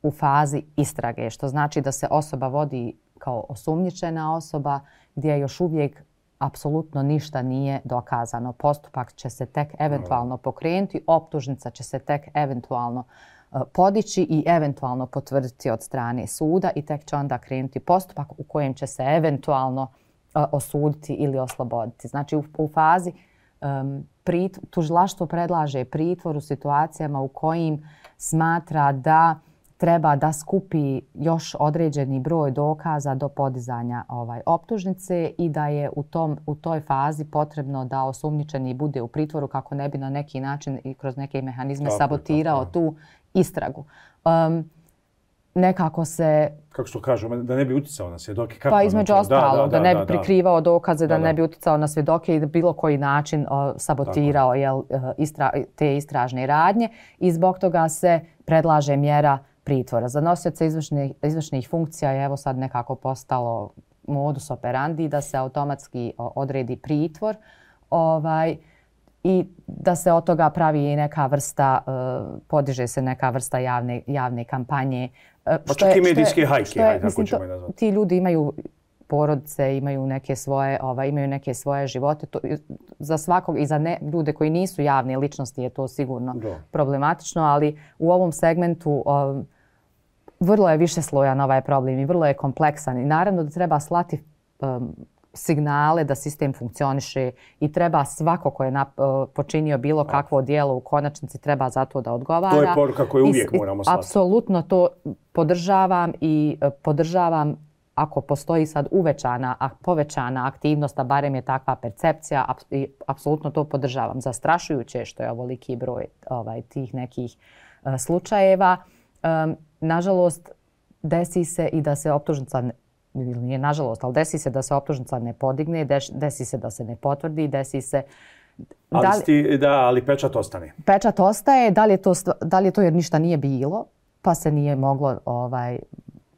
Speaker 2: u fazi istrage, što znači da se osoba vodi kao osumnjičena osoba gdje još uvijek apsolutno ništa nije dokazano. Postupak će se tek eventualno pokrenuti, optužnica će se tek eventualno e, podići i eventualno potvrditi od strane suda i tek će onda krenuti postupak u kojem će se eventualno osuditi ili osloboditi. Znači u, u fazi um, prit, tužilaštvo predlaže pritvor u situacijama u kojim smatra da treba da skupi još određeni broj dokaza do podizanja ovaj, optužnice i da je u, tom, u toj fazi potrebno da osumnjičeni bude u pritvoru kako ne bi na neki način i kroz neke mehanizme tako, sabotirao tako. tu istragu. Um, nekako se...
Speaker 1: Kako što kažu, da ne bi uticao na svjedoke? Kako
Speaker 2: pa između ostalo, da, da, da ne bi
Speaker 1: da,
Speaker 2: prikrivao dokaze, da,
Speaker 1: da,
Speaker 2: da ne bi uticao na svjedoke i da bilo koji način o, sabotirao jel, istra, te istražne radnje. I zbog toga se predlaže mjera pritvora. Za nosioce izvršnih, izvršnih funkcija je evo sad nekako postalo modus operandi da se automatski odredi pritvor ovaj, i da se od toga pravi i neka vrsta, uh, podiže se neka vrsta javne, javne kampanje.
Speaker 1: Uh, pa čak i medijske hajke, hajde, tako ćemo je nazvati.
Speaker 2: Ti ljudi imaju porodice, imaju neke svoje, ovaj, imaju neke svoje živote. To, za svakog i za ne, ljude koji nisu javne ličnosti je to sigurno Do. problematično, ali u ovom segmentu um, vrlo je više slojan ovaj problem i vrlo je kompleksan. I naravno da treba slati um, signale da sistem funkcioniše i treba svako ko je nap, počinio bilo kakvo djelo u konačnici treba za to da odgovara.
Speaker 1: To je poruka koju uvijek
Speaker 2: I,
Speaker 1: moramo slati.
Speaker 2: Apsolutno to podržavam i podržavam ako postoji sad uvećana, a povećana aktivnost, a barem je takva percepcija, ap, i apsolutno to podržavam. Zastrašujuće je što je ovoliki broj ovaj, tih nekih uh, slučajeva. Um, nažalost, desi se i da se optužnica ili nije nažalost, ali desi se da se optužnica ne podigne, desi se da se ne potvrdi, desi se...
Speaker 1: Ali, da li, sti, da, ali pečat ostane.
Speaker 2: Pečat ostaje, da li, je to, da li je to jer ništa nije bilo, pa se nije moglo ovaj,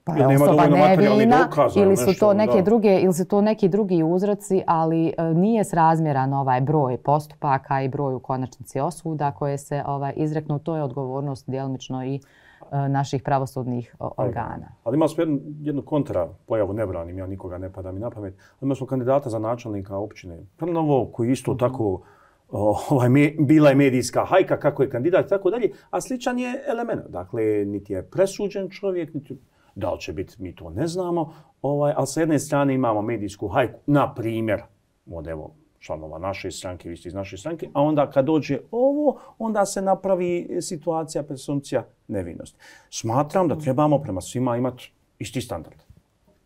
Speaker 2: pa je osoba nevina ili su to neke
Speaker 1: da.
Speaker 2: druge ili su to neki drugi uzroci, ali e, nije srazmjeran ovaj broj postupaka i broj u konačnici osuda koje se ovaj izreknu. To je odgovornost djelomično i e, naših pravosudnih o, organa.
Speaker 1: Ali imali smo jednu, jednu kontra pojavu, ne branim, ja nikoga ne pada mi na pamet. Imali smo kandidata za načelnika općine Trnovo koji isto tako ovaj, bila je medijska hajka kako je kandidat i tako dalje, a sličan je element. Dakle, niti je presuđen čovjek, niti da li će biti, mi to ne znamo, ovaj, ali sa jedne strane imamo medijsku hajku, na primjer, od evo, članova naše stranke, vi ste iz naše stranke, a onda kad dođe ovo, onda se napravi situacija, presumpcija nevinosti. Smatram da trebamo prema svima imati isti standard.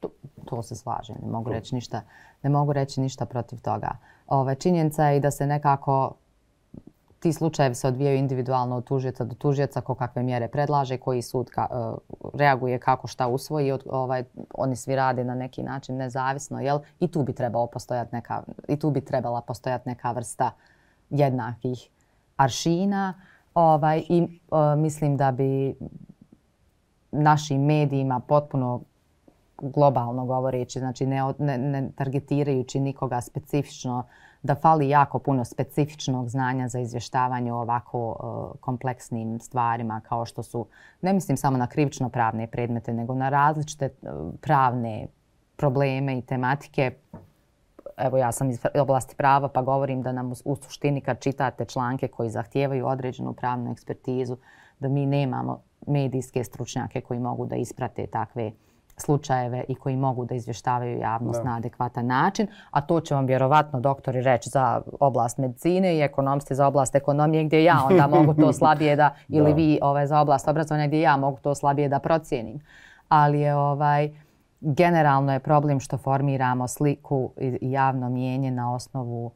Speaker 2: To, to se slažem, ne mogu reći ništa, ne mogu reći ništa protiv toga. Ove, činjenica je i da se nekako ti slučajevi se odvijaju individualno od tužioca do tužioca, ko kakve mjere predlaže, koji sud ka, uh, reaguje kako šta usvoji. Od, ovaj, oni svi rade na neki način nezavisno, jel? I tu bi trebalo postojati neka, i tu bi trebala postojati neka vrsta jednakih aršina. Ovaj, I uh, mislim da bi našim medijima potpuno globalno govoreći, znači ne, ne, ne targetirajući nikoga specifično, da fali jako puno specifičnog znanja za izvještavanje o ovako uh, kompleksnim stvarima kao što su, ne mislim samo na krivično-pravne predmete, nego na različite uh, pravne probleme i tematike. Evo, ja sam iz oblasti prava pa govorim da nam u, u suštini kad čitate članke koji zahtijevaju određenu pravnu ekspertizu, da mi nemamo medijske stručnjake koji mogu da isprate takve slučajeve i koji mogu da izvještavaju javnost da. na adekvatan način, a to će vam vjerovatno doktori reći za oblast medicine i ekonomisti za oblast ekonomije gdje ja onda mogu to slabije da, ili da. vi ovaj, za oblast obrazovanja gdje ja mogu to slabije da procijenim. Ali je ovaj, generalno je problem što formiramo sliku i javno mnijenje na osnovu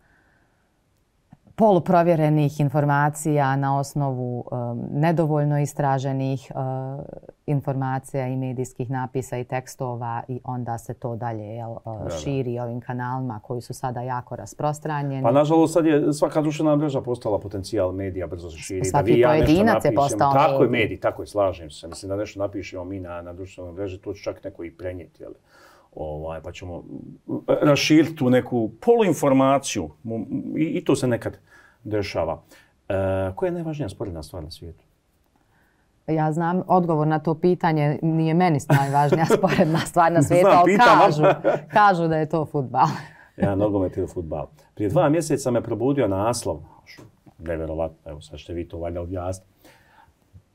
Speaker 2: poluprovjerenih informacija, na osnovu um, nedovoljno istraženih uh, informacija i medijskih napisa i tekstova i onda se to dalje jel, uh, širi ovim kanalima koji su sada jako rasprostranjeni.
Speaker 1: Pa nažalost sad je svaka društvena mreža postala potencijal medija, brzo se širi.
Speaker 2: Svaki da vi ja pojedinac je postao
Speaker 1: tako
Speaker 2: medij.
Speaker 1: je medij, tako je, slažem se. Mislim da nešto napišemo mi na, na društvenoj mreži, to će čak neko i prenijeti. Jel? Ovaj, pa ćemo raširiti tu neku poluinformaciju i, i to se nekad dešava. E, koja je najvažnija sporedna stvar na svijetu?
Speaker 2: Ja znam odgovor na to pitanje, nije meni najvažnija sporedna stvar na svijetu, ali kažu, kažu da je to fudbal.
Speaker 1: Ja, nogomet ili fudbal. Prije dva mjeseca me probudio naslov, nevjerovatno, evo sad ćete vi to valjda objasniti.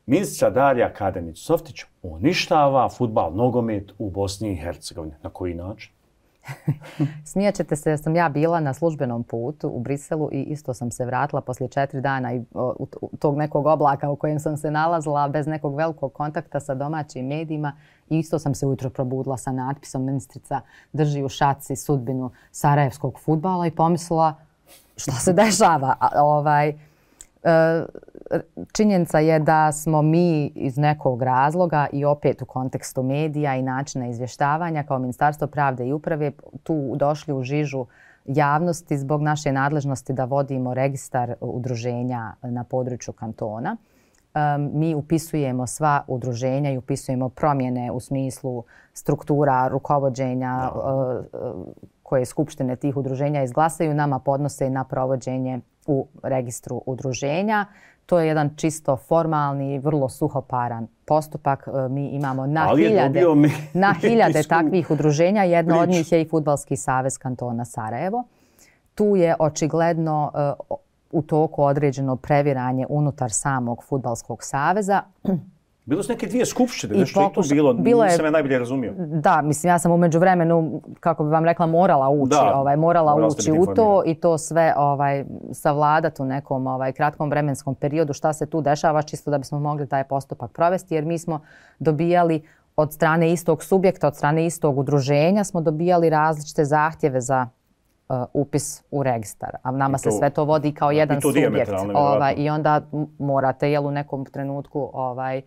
Speaker 1: Ministrica Darija Kadenić-Softić uništava fudbal, nogomet u Bosni i Hercegovini. Na koji način?
Speaker 2: Smijat ćete se, sam ja bila na službenom putu u Briselu i isto sam se vratila poslije četiri dana i, u, u tog nekog oblaka u kojem sam se nalazila bez nekog velikog kontakta sa domaćim medijima. I isto sam se ujutro probudila sa natpisom ministrica drži u šaci sudbinu sarajevskog fudbala i pomislila šta se dešava. A, ovaj, činjenica je da smo mi iz nekog razloga i opet u kontekstu medija i načina izvještavanja kao Ministarstvo pravde i uprave tu došli u žižu javnosti zbog naše nadležnosti da vodimo registar udruženja na području kantona. Mi upisujemo sva udruženja i upisujemo promjene u smislu struktura rukovođenja koje skupštine tih udruženja izglasaju, nama podnose na provođenje u registru udruženja. To je jedan čisto formalni, vrlo suhoparan postupak. Mi imamo na hiljade, na hiljade takvih udruženja. Jedno od njih je i Fudbalski savez kantona Sarajevo. Tu je očigledno u toku određeno previranje unutar samog Fudbalskog saveza.
Speaker 1: Bilo su neke dvije skupštine, nešto je tu bilo, bilo je, nisam ja najbolje razumio.
Speaker 2: Da, mislim, ja sam u međuvremenu, kako bi vam rekla, morala ući, da, ovaj, morala morala ući u to i to sve ovaj, savladati u nekom ovaj, kratkom vremenskom periodu šta se tu dešava, čisto da bismo mogli taj postupak provesti, jer mi smo dobijali od strane istog subjekta, od strane istog udruženja, smo dobijali različite zahtjeve za uh, upis u registar. A nama to, se sve to vodi kao jedan subjekt. Ovaj, I onda morate jel, u nekom trenutku ovaj,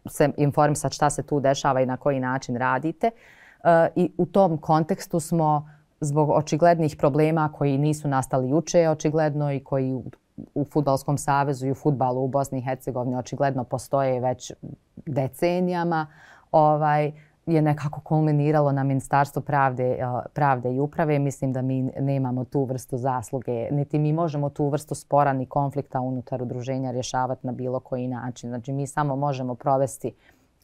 Speaker 2: se informisati šta se tu dešava i na koji način radite. E, I u tom kontekstu smo zbog očiglednih problema koji nisu nastali juče očigledno i koji u, u Fudbalskom savezu i u fudbalu u Bosni i Hercegovini očigledno postoje već decenijama, ovaj, je nekako kulminiralo na Ministarstvu pravde, pravde i uprave. Mislim da mi nemamo tu vrstu zasluge, niti mi možemo tu vrstu spora ni konflikta unutar udruženja rješavati na bilo koji način. Znači mi samo možemo provesti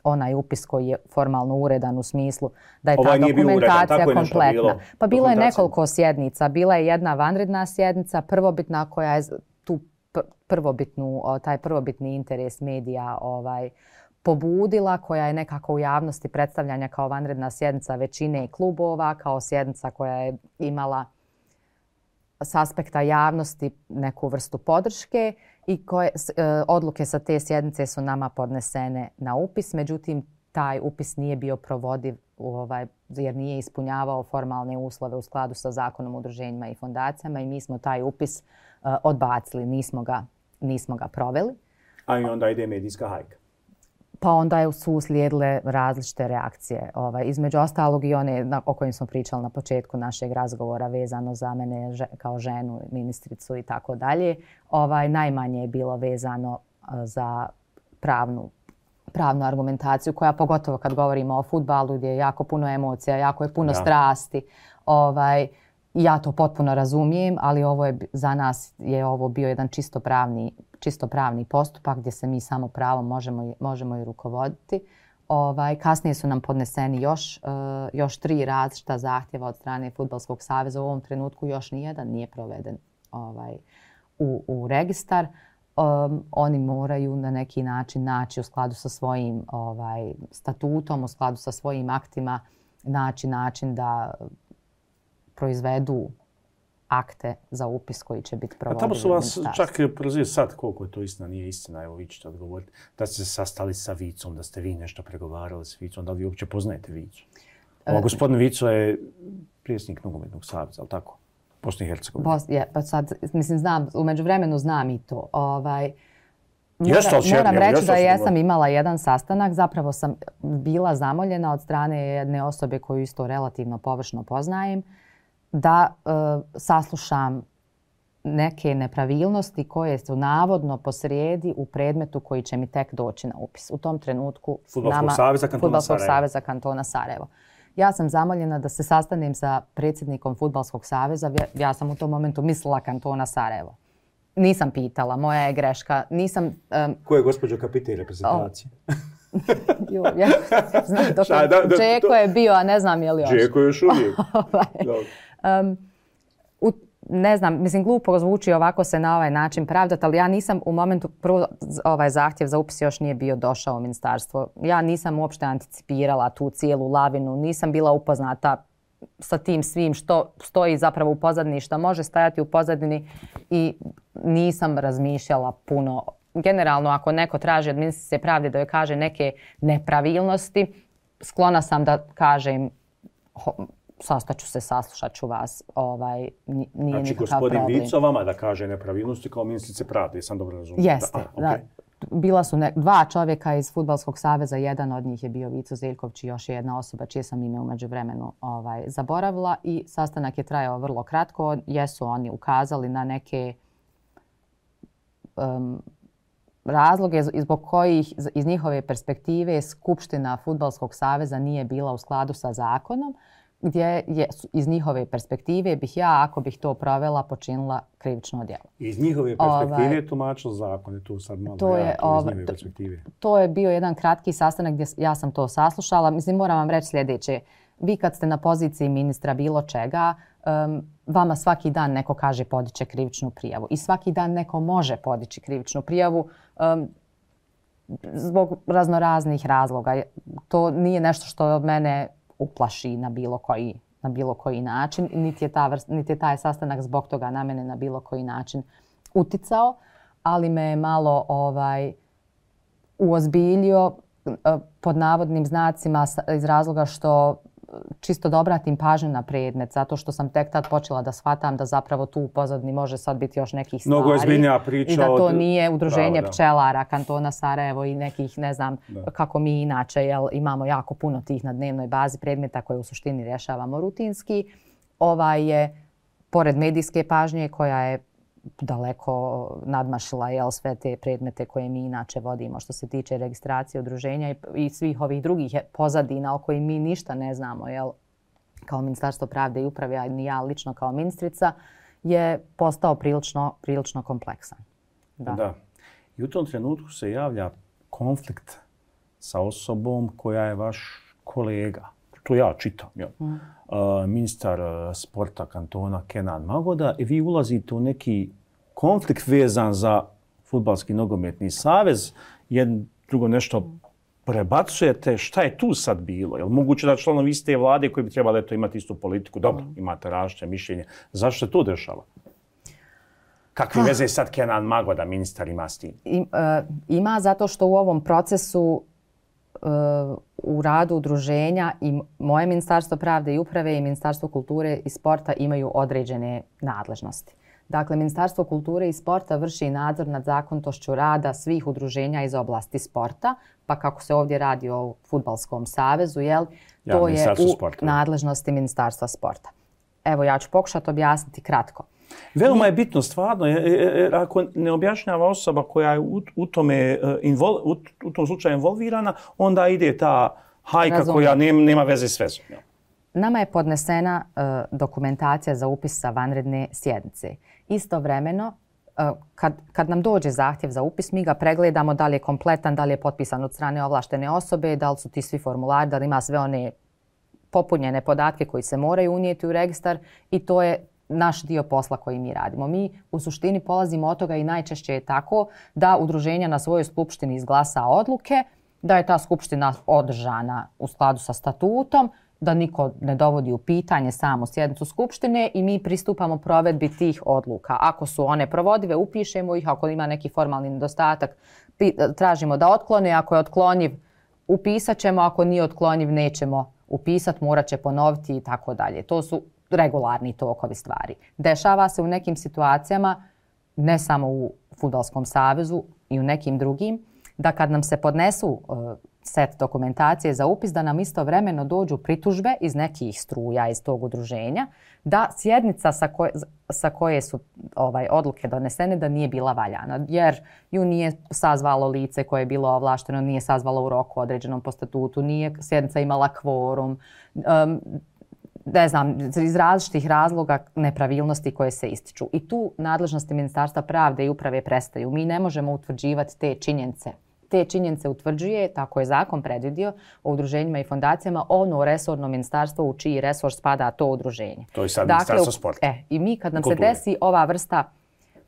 Speaker 2: onaj upis koji je formalno uredan u smislu da je
Speaker 1: ovaj
Speaker 2: ta dokumentacija
Speaker 1: uredan,
Speaker 2: kompletna.
Speaker 1: Bilo,
Speaker 2: pa bilo je nekoliko sjednica. Bila je jedna vanredna sjednica, prvobitna koja je tu prvobitnu, taj prvobitni interes medija ovaj, pobudila, koja je nekako u javnosti predstavljanja kao vanredna sjednica većine klubova, kao sjednica koja je imala s aspekta javnosti neku vrstu podrške i koje, odluke sa te sjednice su nama podnesene na upis. Međutim, taj upis nije bio provodiv ovaj, jer nije ispunjavao formalne uslove u skladu sa Zakonom o udruženjima i fondacijama i mi smo taj upis uh, odbacili, nismo ga, nismo ga proveli.
Speaker 1: A i onda ide medijska hajka.
Speaker 2: Pa onda su uslijedile različite reakcije. Ovaj, između ostalog i one na, o kojim smo pričali na početku našeg razgovora vezano za mene že, kao ženu, ministricu i tako dalje. Ovaj, najmanje je bilo vezano uh, za pravnu pravnu argumentaciju koja pogotovo kad govorimo o fudbalu gdje je jako puno emocija, jako je puno ja. strasti. Ovaj, ja to potpuno razumijem, ali ovo je, za nas je ovo bio jedan čisto pravni, čisto pravni postupak gdje se mi samo pravom možemo, možemo i rukovoditi. Ovaj, kasnije su nam podneseni još, uh, još tri različita zahtjeva od strane Fudbalskog saveza. U ovom trenutku još nijedan nije proveden ovaj, u, u registar. Um, oni moraju na neki način naći u skladu sa svojim ovaj, statutom, u skladu sa svojim aktima, naći način da proizvedu akte za upis koji će biti provodivi.
Speaker 1: A tamo su vas čak prozivali sad, koliko je to istina, nije istina, evo vi ćete odgovoriti, da ste se sastali sa Vicom, da ste vi nešto pregovarali s Vicom, da li vi uopće poznajete Vicu? Ovo, gospodin Vico je predsjednik nogometnog saveza, ali tako? Bosni i Hercegovini.
Speaker 2: Bos, je, pa sad, mislim, znam, u međuvremenu znam i to. Ovaj,
Speaker 1: mora, Jeste,
Speaker 2: moram reći
Speaker 1: jeste,
Speaker 2: da jesam imala jedan sastanak. Zapravo sam bila zamoljena od strane jedne osobe koju isto relativno površno poznajem da uh, saslušam neke nepravilnosti koje su navodno posrijedi u predmetu koji će mi tek doći na upis. U tom trenutku
Speaker 1: Fudbalskog saveza kantona
Speaker 2: Fudbalskog
Speaker 1: Sarajevo.
Speaker 2: saveza kantona Sarajevo. Ja sam zamoljena da se sastanem sa predsjednikom Fudbalskog saveza. Ja sam u tom momentu mislila kantona Sarajevo. Nisam pitala, moja je greška. Nisam... Um,
Speaker 1: Ko je gospođo kapitelj reprezentacije?
Speaker 2: jo, ja znam dok je, da, da, Džeko je bio, a ne znam je li još.
Speaker 1: Džeko je još uvijek.
Speaker 2: um, u, ne znam, mislim, glupo zvuči ovako se na ovaj način pravdati, ali ja nisam u momentu, prvo ovaj zahtjev za upis još nije bio došao u ministarstvo. Ja nisam uopšte anticipirala tu cijelu lavinu, nisam bila upoznata sa tim svim što stoji zapravo u pozadini, što može stajati u pozadini i nisam razmišljala puno. Generalno, ako neko traži od ministrice pravde da joj kaže neke nepravilnosti, sklona sam da kažem sastaću se, saslušat ću vas. Ovaj, nije
Speaker 1: znači,
Speaker 2: nikakav problem.
Speaker 1: gospodin Vico vama da kaže nepravilnosti kao ministrice pravde, sam dobro razumijem.
Speaker 2: Jeste. Da, a, okay. da, bila su ne, dva čovjeka iz Fudbalskog saveza, jedan od njih je bio Vico Zeljković i još jedna osoba čije sam ime umeđu vremenu ovaj, zaboravila i sastanak je trajao vrlo kratko. Jesu oni ukazali na neke um, razloge zbog kojih iz njihove perspektive Skupština Fudbalskog saveza nije bila u skladu sa zakonom, gdje je iz njihove perspektive bih ja, ako bih to provela, počinila krivično djelo.
Speaker 1: Iz njihove perspektive ovaj, je tumačilo zakon, je tu sad malo
Speaker 2: to
Speaker 1: ja,
Speaker 2: je,
Speaker 1: to
Speaker 2: ovaj,
Speaker 1: iz njihove perspektive.
Speaker 2: To, to je bio jedan kratki sastanak gdje ja sam to saslušala. Mislim, moram vam reći sljedeće. Vi kad ste na poziciji ministra bilo čega, um, vama svaki dan neko kaže podiće krivičnu prijavu. I svaki dan neko može podići krivičnu prijavu um, zbog raznoraznih razloga. To nije nešto što od mene uplaši na bilo koji, na bilo koji način. Niti je, ta vrst, niti je taj sastanak zbog toga na mene na bilo koji način uticao, ali me je malo ovaj, uozbiljio pod navodnim znacima iz razloga što čisto da obratim pažnju na predmet, zato što sam tek tad počela da shvatam da zapravo tu u pozadini može sad biti još nekih stvari.
Speaker 1: Mnogo je zbiljnija priča.
Speaker 2: I da to
Speaker 1: od...
Speaker 2: nije udruženje
Speaker 1: da, da.
Speaker 2: pčelara kantona Sarajevo i nekih, ne znam, da. kako mi inače, jel, imamo jako puno tih na dnevnoj bazi predmeta koje u suštini rješavamo rutinski. Ovaj je, pored medijske pažnje koja je daleko nadmašila jel, sve te predmete koje mi inače vodimo što se tiče registracije udruženja i, i svih ovih drugih pozadina o kojih mi ništa ne znamo jel, kao Ministarstvo pravde i uprave, a ni ja lično kao ministrica, je postao prilično, prilično kompleksan. Da.
Speaker 1: Da. I u tom trenutku se javlja konflikt sa osobom koja je vaš kolega. To ja čitam. Ja. Mm. Uh, ministar sporta kantona Kenan Magoda i vi ulazite u neki konflikt vezan za Fudbalski nogometni savez. Jedno drugo nešto prebacujete. Šta je tu sad bilo? Je li moguće da članovi iste vlade koji bi trebali eto, imati istu politiku? Dobro, mm. imate različite mišljenje. Zašto se to dešava? Kakve ah. veze sad Kenan Magoda, ministar, ima s tim?
Speaker 2: I, uh, ima zato što u ovom procesu uh, u radu udruženja i moje Ministarstvo pravde i uprave i Ministarstvo kulture i sporta imaju određene nadležnosti. Dakle, Ministarstvo kulture i sporta vrši nadzor nad zakonitošću rada svih udruženja iz oblasti sporta, pa kako se ovdje radi o Fudbalskom savezu, jel,
Speaker 1: ja,
Speaker 2: to je u
Speaker 1: sporta.
Speaker 2: nadležnosti Ministarstva sporta. Evo, ja ću pokušati objasniti kratko.
Speaker 1: Veoma je bitno stvarno, jer ako ne objašnjava osoba koja je u, u, tome, invol, u, u tom slučaju involvirana, onda ide ta hajka Razumno. koja nema, nema veze s vezom.
Speaker 2: Nama je podnesena uh, dokumentacija za upis sa vanredne sjednice. Istovremeno, uh, kad, kad nam dođe zahtjev za upis, mi ga pregledamo da li je kompletan, da li je potpisan od strane ovlaštene osobe, da li su ti svi formulari, da li ima sve one popunjene podatke koji se moraju unijeti u registar i to je naš dio posla koji mi radimo. Mi u suštini polazimo od toga i najčešće je tako da udruženja na svojoj skupštini izglasa odluke, da je ta skupština održana u skladu sa statutom, da niko ne dovodi u pitanje samu sjednicu skupštine i mi pristupamo provedbi tih odluka. Ako su one provodive, upišemo ih, ako ima neki formalni nedostatak, tražimo da otklone, ako je otkloniv, upisat ćemo, ako nije otkloniv, nećemo upisati, morat će ponoviti i tako dalje. To su regularni tokovi stvari. Dešava se u nekim situacijama, ne samo u Fudbalskom savezu i u nekim drugim, da kad nam se podnesu uh, set dokumentacije za upis, da nam istovremeno dođu pritužbe iz nekih struja iz tog udruženja, da sjednica sa koje, sa koje su ovaj, odluke donesene da nije bila valjana, jer ju nije sazvalo lice koje je bilo ovlašteno, nije sazvalo u roku određenom po statutu, nije sjednica imala kvorum, um, ne znam, iz različitih razloga nepravilnosti koje se ističu. I tu nadležnosti Ministarstva pravde i uprave prestaju. Mi ne možemo utvrđivati te činjenice. Te činjenice utvrđuje, tako je zakon predvidio, o udruženjima i fondacijama, ono resorno ministarstvo u čiji resor spada to udruženje.
Speaker 1: To je sad
Speaker 2: dakle,
Speaker 1: Ministarstvo sporta.
Speaker 2: E, I mi kad nam Kulture. se desi ova vrsta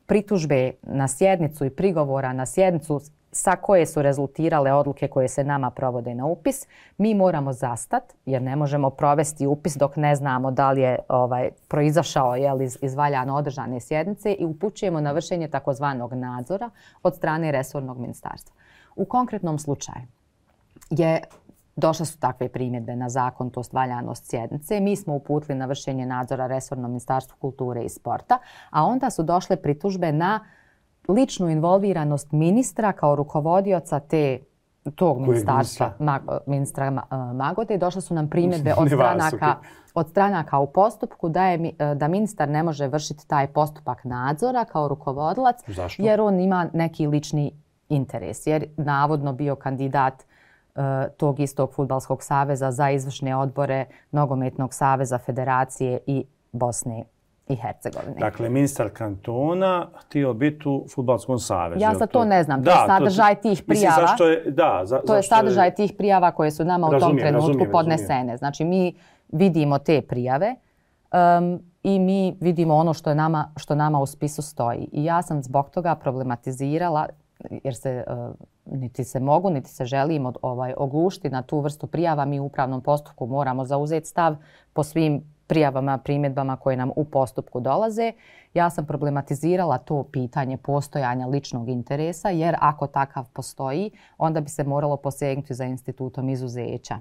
Speaker 2: pritužbe na sjednicu i prigovora na sjednicu sa koje su rezultirale odluke koje se nama provode na upis, mi moramo zastati jer ne možemo provesti upis dok ne znamo da li je ovaj, proizašao jel, iz, iz valjano održane sjednice i upućujemo na vršenje takozvanog nadzora od strane resornog ministarstva. U konkretnom slučaju je došle su takve primjedbe na zakonitost, valjanost sjednice. Mi smo uputili na vršenje nadzora resornom Ministarstvu kulture i sporta, a onda su došle pritužbe na ličnu involviranost ministra kao rukovodioca te, tog ministarstva, ma, ministra Magode. Došle su nam primjedbe od stranaka, od stranaka u postupku da, je, da ministar ne može vršiti taj postupak nadzora kao rukovodilac.
Speaker 1: Zašto?
Speaker 2: Jer on ima neki lični interes. Jer navodno bio kandidat uh, tog istog Fudbalskog saveza za izvršne odbore Nogometnog saveza Federacije i Bosne i Hercegovine.
Speaker 1: Dakle, ministar kantona htio biti u Fudbalskom savezu.
Speaker 2: Ja sad to ne znam. To da, je sadržaj to, tih prijava. Mislim, zašto
Speaker 1: je, da, za,
Speaker 2: to je sadržaj je... tih prijava koje su nama razumijem, u tom trenutku razumijem, podnesene. Razumijem. Znači, mi vidimo te prijave um, i mi vidimo ono što, je nama, što nama u spisu stoji. I ja sam zbog toga problematizirala, jer se uh, niti se mogu, niti se želim od, ovaj, oglušiti na tu vrstu prijava. Mi u upravnom postupku moramo zauzeti stav po svim prijavama, primjedbama koje nam u postupku dolaze. Ja sam problematizirala to pitanje postojanja ličnog interesa, jer ako takav postoji, onda bi se moralo posegnuti za institutom izuzeća,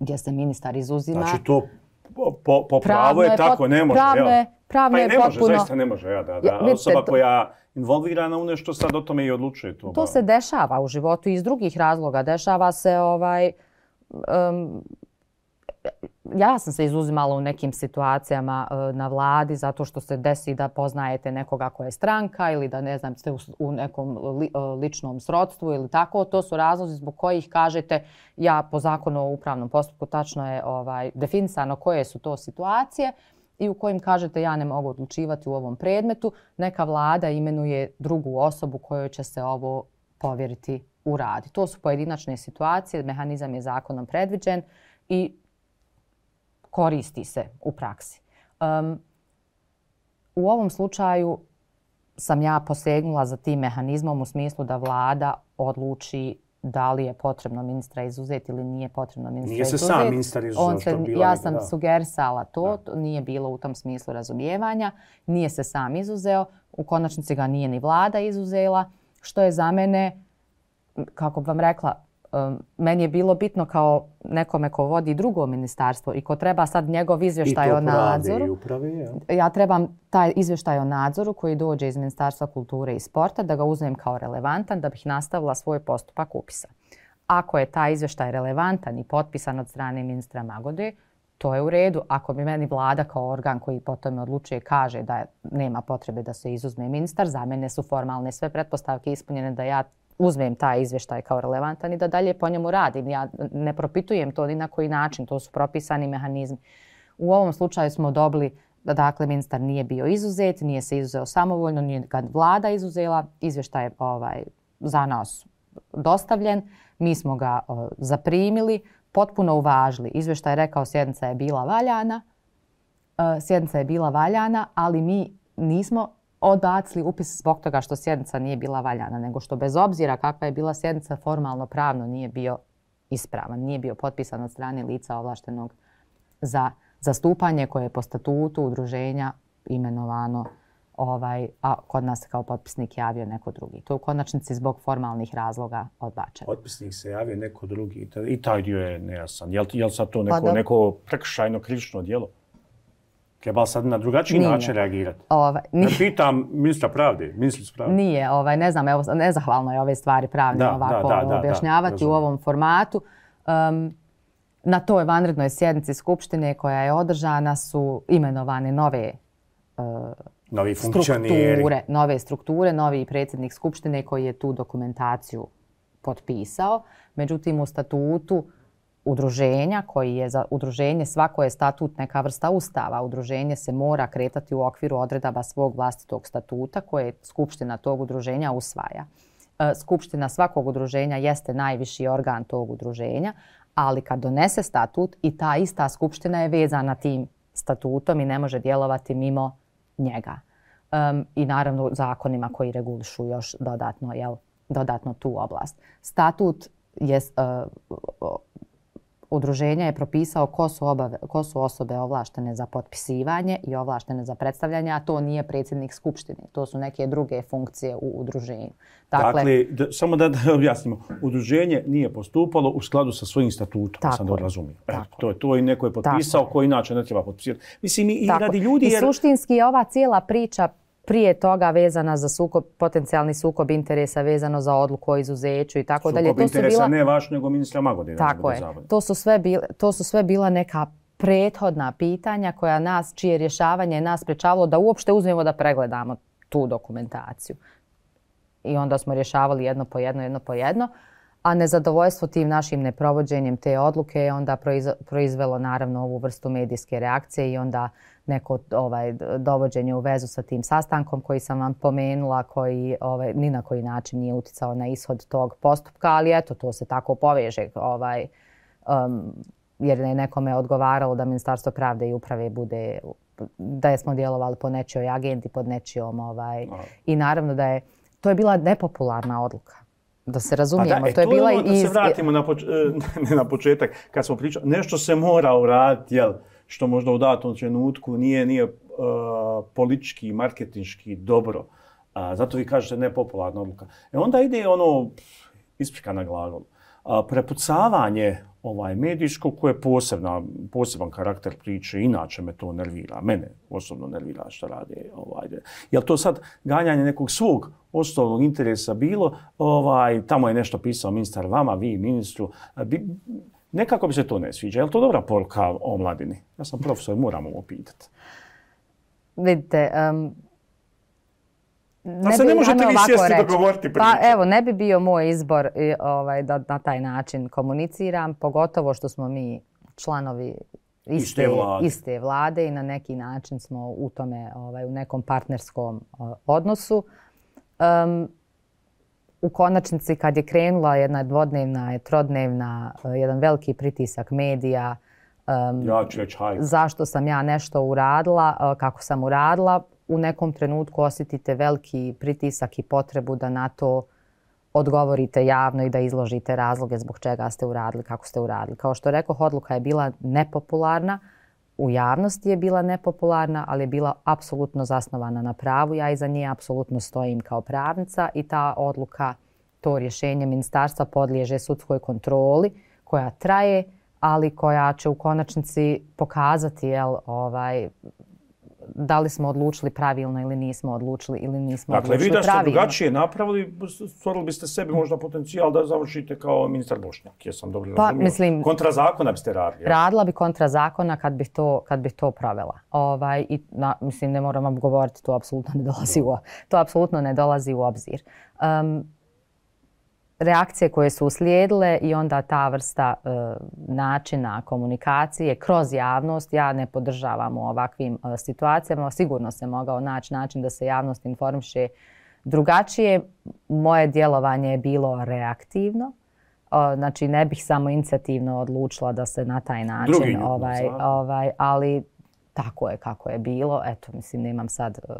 Speaker 2: gdje se ministar izuzima.
Speaker 1: Znači to po, po pravo je, je tako, pot, ne može.
Speaker 2: Pravno je, pravno
Speaker 1: pa
Speaker 2: je
Speaker 1: ne
Speaker 2: potpuno...
Speaker 1: može, zaista ne može. Ja, da, da. Ja, osoba to, koja involvirana u nešto sad o tome i odlučuje. To,
Speaker 2: to se dešava u životu iz drugih razloga. Dešava se ovaj... Um, ja sam se izuzimala u nekim situacijama na vladi zato što se desi da poznajete nekoga koja je stranka ili da ne znam ste u nekom li, ličnom srodstvu ili tako. To su razlozi zbog kojih kažete ja po zakonu o upravnom postupku tačno je ovaj, definisano koje su to situacije i u kojim kažete ja ne mogu odlučivati u ovom predmetu. Neka vlada imenuje drugu osobu kojoj će se ovo povjeriti u rad. To su pojedinačne situacije, mehanizam je zakonom predviđen i koristi se u praksi. Um, u ovom slučaju sam ja posegnula za tim mehanizmom u smislu da vlada odluči da li je potrebno ministra izuzeti ili nije potrebno ministra
Speaker 1: nije
Speaker 2: izuzeti.
Speaker 1: Nije se sam ministar izuzeo što bila.
Speaker 2: Ja sam da. sugerisala to, to, nije bilo u tom smislu razumijevanja. Nije se sam izuzeo, u konačnici ga nije ni vlada izuzela, što je za mene, kako vam rekla, Um, meni je bilo bitno kao nekome ko vodi drugo ministarstvo i ko treba sad njegov izvještaj o nadzoru.
Speaker 1: I upravi, ja.
Speaker 2: ja trebam taj izvještaj o nadzoru koji dođe iz Ministarstva kulture i sporta da ga uzmem kao relevantan da bih nastavila svoj postupak upisa. Ako je taj izvještaj relevantan i potpisan od strane ministra Magode, to je u redu. Ako bi meni vlada kao organ koji po tome odlučuje kaže da nema potrebe da se izuzme ministar, za mene su formalne sve pretpostavke ispunjene da ja uzmem taj izvještaj kao relevantan i da dalje po njemu radim. Ja ne propitujem to ni na koji način, to su propisani mehanizmi. U ovom slučaju smo dobili da dakle ministar nije bio izuzet, nije se izuzeo samovoljno, nije ga vlada izuzela, izvještaj je ovaj, za nas dostavljen, mi smo ga o, zaprimili, potpuno uvažili. Izvještaj je rekao sjednica je bila valjana, e, sjednica je bila valjana, ali mi nismo odbacili upis zbog toga što sjednica nije bila valjana, nego što bez obzira kakva je bila sjednica formalno pravno nije bio ispravan, nije bio potpisan od strane lica ovlaštenog za zastupanje koje je po statutu udruženja imenovano, ovaj, a kod nas kao potpisnik javio neko drugi. To je u konačnici zbog formalnih razloga odbačeno.
Speaker 1: Potpisnik se javio neko drugi i taj dio je nejasan. Je li, je li sad to neko, pa neko prekršajno krivično djelo? Treba sad na drugačiji nije. način reagirati?
Speaker 2: Ovaj,
Speaker 1: ne pitam ministra pravde, ministricu pravde.
Speaker 2: Nije, ovaj, ne znam, evo, nezahvalno je ove stvari pravne da, ovako da, da, objašnjavati da, u ovom formatu. Um, na toj vanrednoj sjednici Skupštine koja je održana su imenovane nove uh,
Speaker 1: novi
Speaker 2: strukture, nove strukture, novi predsjednik Skupštine koji je tu dokumentaciju potpisao. Međutim, u statutu udruženja koji je za udruženje, svako je statut neka vrsta ustava. Udruženje se mora kretati u okviru odredaba svog vlastitog statuta koje skupština tog udruženja usvaja. Skupština svakog udruženja jeste najviši organ tog udruženja, ali kad donese statut i ta ista skupština je vezana tim statutom i ne može djelovati mimo njega. Um, I naravno zakonima koji regulišu još dodatno, jel, dodatno tu oblast. Statut je uh, udruženja je propisao ko su, obave, ko su osobe ovlaštene za potpisivanje i ovlaštene za predstavljanje, a to nije predsjednik Skupštine. To su neke druge funkcije u udruženju.
Speaker 1: Dakle, dakle da, samo da, da objasnimo, udruženje nije postupalo u skladu sa svojim statutom, sam da razumio. E, to je to i neko je potpisao tako koji inače ne treba potpisati. Mislim, i tako. radi ljudi... Jer...
Speaker 2: I suštinski je ova cijela priča prije toga vezana za sukob, potencijalni sukob interesa, vezano za odluku o izuzeću i tako dalje.
Speaker 1: Sukob interesa bila... ne vaš, nego ministra Magode.
Speaker 2: Tako je. To su, sve bile, to su sve bila neka prethodna pitanja koja nas, čije rješavanje nas sprečavalo da uopšte uzmemo da pregledamo tu dokumentaciju. I onda smo rješavali jedno po jedno, jedno po jedno. A nezadovoljstvo tim našim neprovođenjem te odluke je onda proizvelo naravno ovu vrstu medijske reakcije i onda neko ovaj, dovođenje u vezu sa tim sastankom koji sam vam pomenula, koji ovaj, ni na koji način nije uticao na ishod tog postupka, ali eto, to se tako poveže, ovaj, um, jer je nekome odgovaralo da Ministarstvo pravde i uprave bude, da smo djelovali po nečijoj agendi, pod nečijom, ovaj, i naravno da je, to je bila nepopularna odluka. Da se razumijemo,
Speaker 1: pa da,
Speaker 2: to je
Speaker 1: to
Speaker 2: bila
Speaker 1: i...
Speaker 2: iz...
Speaker 1: Da se vratimo na, poč... ne na početak, kad smo pričali, nešto se mora uraditi, jel, što možda u datom trenutku nije, nije uh, politički, marketinški dobro. Uh, zato vi kažete nepopularna odluka. E onda ide ono, isprika na glagol, uh, prepucavanje ovaj, medijsko koje je posebna, poseban karakter priče, inače me to nervira, mene osobno nervira što rade. Ovaj, jel to sad ganjanje nekog svog osnovnog interesa bilo, ovaj, tamo je nešto pisao ministar vama, vi ministru, bi, Nekako bi se to ne sviđa. Je li to dobra poruka o mladini? Ja sam profesor, moram ovo pitati.
Speaker 2: Vidite, um,
Speaker 1: ne, se ne možete vi sjesti dogovoriti priču.
Speaker 2: Pa evo, ne bi bio moj izbor ovaj, da na taj način komuniciram, pogotovo što smo mi članovi iste, iste, vlade. iste vlade i na neki način smo u tome, ovaj, u nekom partnerskom uh, odnosu. Um, u konačnici kad je krenula jedna dvodnevna, trodnevna, uh, jedan veliki pritisak medija, um,
Speaker 1: ja ću reći hajde.
Speaker 2: Zašto sam ja nešto uradila, uh, kako sam uradila, u nekom trenutku osjetite veliki pritisak i potrebu da na to odgovorite javno i da izložite razloge zbog čega ste uradili, kako ste uradili. Kao što rekoh, odluka je bila nepopularna, u javnosti je bila nepopularna, ali je bila apsolutno zasnovana na pravu. Ja iza nje apsolutno stojim kao pravnica i ta odluka, to rješenje ministarstva podliježe sudskoj kontroli koja traje, ali koja će u konačnici pokazati jel, ovaj, da li smo odlučili pravilno ili nismo odlučili ili nismo
Speaker 1: dakle,
Speaker 2: odlučili pravilno.
Speaker 1: Dakle, vi da ste drugačije napravili, stvorili biste sebi možda potencijal da završite kao ministar Bošnjak. Jesam dobro
Speaker 2: pa,
Speaker 1: razumio?
Speaker 2: Mislim,
Speaker 1: kontra zakona biste radili. Ja?
Speaker 2: Radila bi kontra zakona kad bih to, kad bih to provela. Ovaj, i, na, mislim, ne moram vam govoriti, to apsolutno ne dolazi u, to apsolutno ne dolazi u obzir. Um, reakcije koje su uslijedile i onda ta vrsta e, načina komunikacije kroz javnost, ja ne podržavam u ovakvim e, situacijama. Sigurno se mogao naći način da se javnost informiše drugačije. Moje djelovanje je bilo reaktivno. O, znači ne bih samo inicijativno odlučila da se na taj način,
Speaker 1: Drugi,
Speaker 2: ovaj, ovaj, ali tako je kako je bilo. Eto, mislim, nemam sad... E,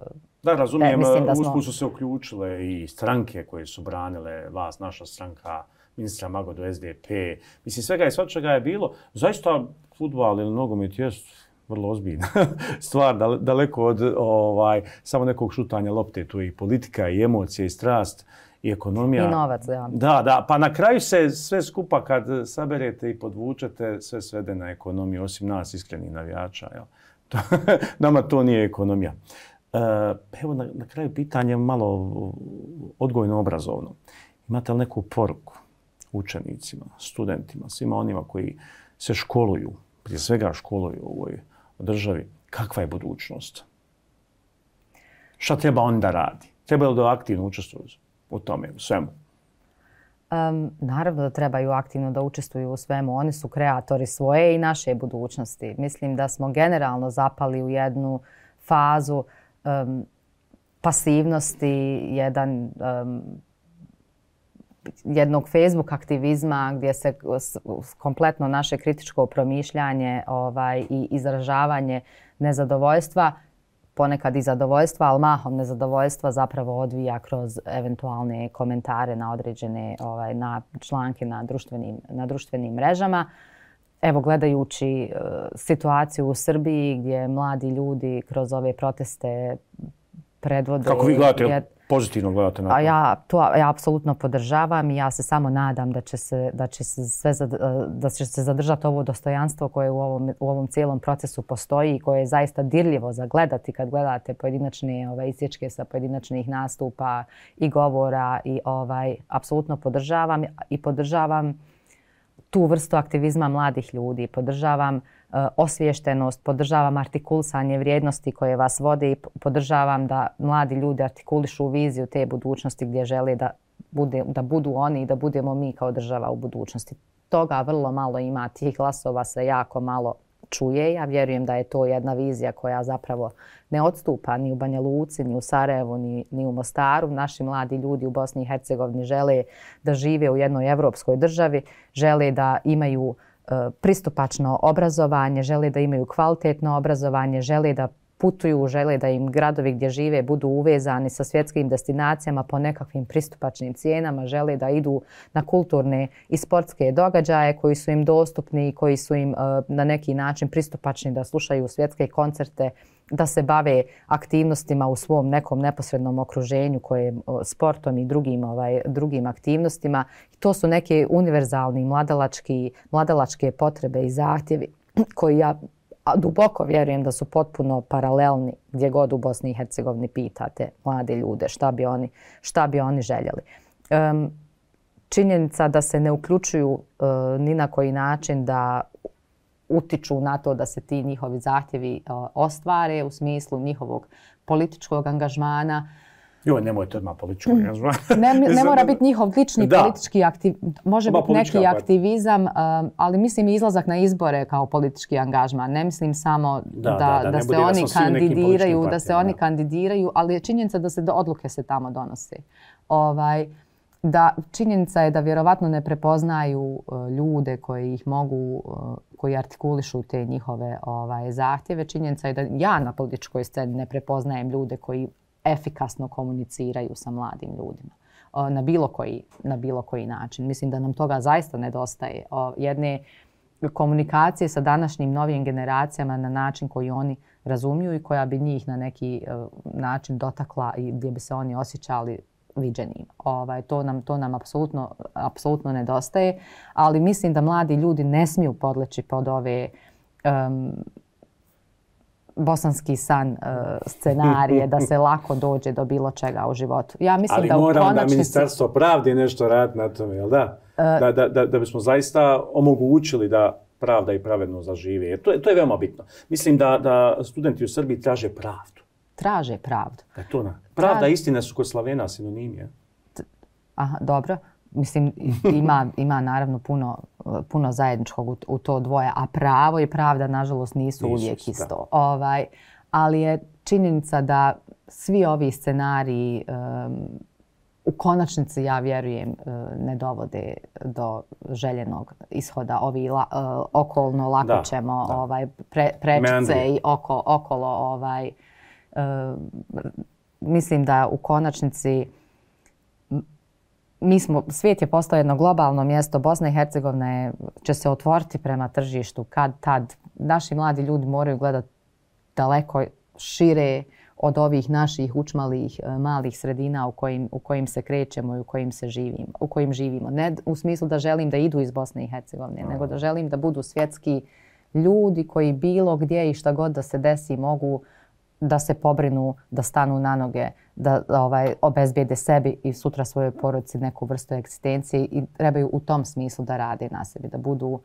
Speaker 1: Da, razumijem,
Speaker 2: e, da smo...
Speaker 1: usput su se uključile i stranke koje su branile vas, naša stranka, ministra Magodu, S D P. Mislim, svega i svačega je bilo. Zaista, fudbal ili nogomet je vrlo ozbiljna stvar, daleko od ovaj, samo nekog šutanja lopte. Tu je i politika, i emocije, i strast, i ekonomija.
Speaker 2: I novac, ja.
Speaker 1: Da, da. Pa na kraju se sve skupa kad saberete i podvučete, sve svede na ekonomiju, osim nas, iskrenih navijača. Jel? Nama to nije ekonomija. Uh, evo na, na kraju pitanje malo odgojno-obrazovno. Imate li neku poruku učenicima, studentima, svima onima koji se školuju, prije svega školuju u ovoj državi, kakva je budućnost? Šta treba on da radi? Treba li da aktivno učestvuju u tome, u svemu?
Speaker 2: Um, naravno da trebaju aktivno da učestvuju u svemu. Oni su kreatori svoje i naše budućnosti. Mislim da smo generalno zapali u jednu fazu Um, pasivnosti, jedan, um, jednog Facebook aktivizma gdje se kompletno naše kritičko promišljanje ovaj, i izražavanje nezadovoljstva, ponekad i zadovoljstva, ali mahom nezadovoljstva zapravo odvija kroz eventualne komentare na određene ovaj, na članke na društvenim, na društvenim mrežama. Evo, gledajući uh, situaciju u Srbiji gdje mladi ljudi kroz ove proteste predvode...
Speaker 1: Kako vi gledate, je, pozitivno gledate na to?
Speaker 2: A ja to ja apsolutno podržavam i ja se samo nadam da će se, da će se, sve zad, da će se zadržati ovo dostojanstvo koje u ovom, u ovom cijelom procesu postoji i koje je zaista dirljivo za gledati kad gledate pojedinačne ovaj, isječke sa pojedinačnih nastupa i govora. I ovaj, apsolutno podržavam i podržavam tu vrstu aktivizma mladih ljudi. Podržavam uh, osviještenost, podržavam artikulisanje vrijednosti koje vas vode i podržavam da mladi ljudi artikulišu viziju te budućnosti gdje žele da, bude, da budu oni i da budemo mi kao država u budućnosti. Toga vrlo malo ima, tih glasova se jako malo čuje. Ja vjerujem da je to jedna vizija koja zapravo ne odstupa ni u Banja Luci, ni u Sarajevu, ni, ni u Mostaru. Naši mladi ljudi u Bosni i Hercegovini žele da žive u jednoj evropskoj državi, žele da imaju e, pristupačno obrazovanje, žele da imaju kvalitetno obrazovanje, žele da putuju, žele da im gradovi gdje žive budu uvezani sa svjetskim destinacijama po nekakvim pristupačnim cijenama, žele da idu na kulturne i sportske događaje koji su im dostupni i koji su im uh, na neki način pristupačni, da slušaju svjetske koncerte, da se bave aktivnostima u svom nekom neposrednom okruženju koje uh, sportom i drugim, ovaj, drugim aktivnostima. I to su neke univerzalni mladalački, mladalačke potrebe i zahtjevi koji ja a duboko vjerujem da su potpuno paralelni gdje god u Bosni i Hercegovini pitate mlade ljude šta bi oni, šta bi oni željeli. Um, činjenica da se ne uključuju uh, ni na koji način da utiču na to da se ti njihovi zahtjevi uh, ostvare u smislu njihovog političkog angažmana.
Speaker 1: Joj, nemojte odmah političkog angažmana.
Speaker 2: ne, ne mora biti njihov lični
Speaker 1: da. politički
Speaker 2: aktivizam, može biti neki aktivizam, um, ali mislim i izlazak na izbore kao politički angažman. Ne mislim samo da, da, da, da, da se oni da kandidiraju, da se oni da. kandidiraju, ali je činjenica da se do odluke se tamo donose. Ovaj, da činjenica je da vjerovatno ne prepoznaju uh, ljude koji ih mogu, uh, koji artikulišu te njihove ovaj, zahtjeve. Činjenica je da ja na političkoj sceni ne prepoznajem ljude koji efikasno komuniciraju sa mladim ljudima uh, na bilo koji, na bilo koji način. Mislim da nam toga zaista nedostaje. Uh, jedne komunikacije sa današnjim novim generacijama na način koji oni razumiju i koja bi njih na neki uh, način dotakla i gdje bi se oni osjećali viđenim. Ovaj, to nam, to nam apsolutno, apsolutno nedostaje, ali mislim da mladi ljudi ne smiju podleći pod ove um, bosanski san uh, scenarije da se lako dođe do bilo čega u životu. Ja mislim
Speaker 1: ali
Speaker 2: da
Speaker 1: mora
Speaker 2: konačnici...
Speaker 1: onda Ministarstvo pravde nešto raditi na tome, jel da? Uh, da, da, da? Da bismo zaista omogućili da pravda i pravedno zažive. Jer to je, to je veoma bitno. Mislim da, da studenti u Srbiji traže pravdu.
Speaker 2: Traže pravdu.
Speaker 1: Da je to na... Pravda i istina su kod Slavena sinonimi.
Speaker 2: Aha, dobro. Mislim, ima, ima naravno puno, puno zajedničkog u, u to dvoje, a pravo i pravda, nažalost, nisu, nisu uvijek isto. Ovaj, ali je činjenica da svi ovi scenariji um, u konačnici, ja vjerujem, ne dovode do željenog ishoda. Ovi la, uh, okolno lako da, ćemo da. Ovaj, pre, prečice i oko, okolo ovaj, uh, mislim da u konačnici mi smo, svijet je postao jedno globalno mjesto. Bosna i Hercegovina je, će se otvoriti prema tržištu kad tad. Naši mladi ljudi moraju gledati daleko šire od ovih naših učmalih malih sredina u kojim, u kojim se krećemo i u kojim se živimo, u kojim živimo. Ne u smislu da želim da idu iz Bosne i Hercegovine, nego da želim da budu svjetski ljudi koji bilo gdje i šta god da se desi mogu da se pobrinu, da stanu na noge, da ovaj, obezbijede sebi i sutra svojoj porodici neku vrstu egzistencije i trebaju u tom smislu da rade na sebi, da budu uh,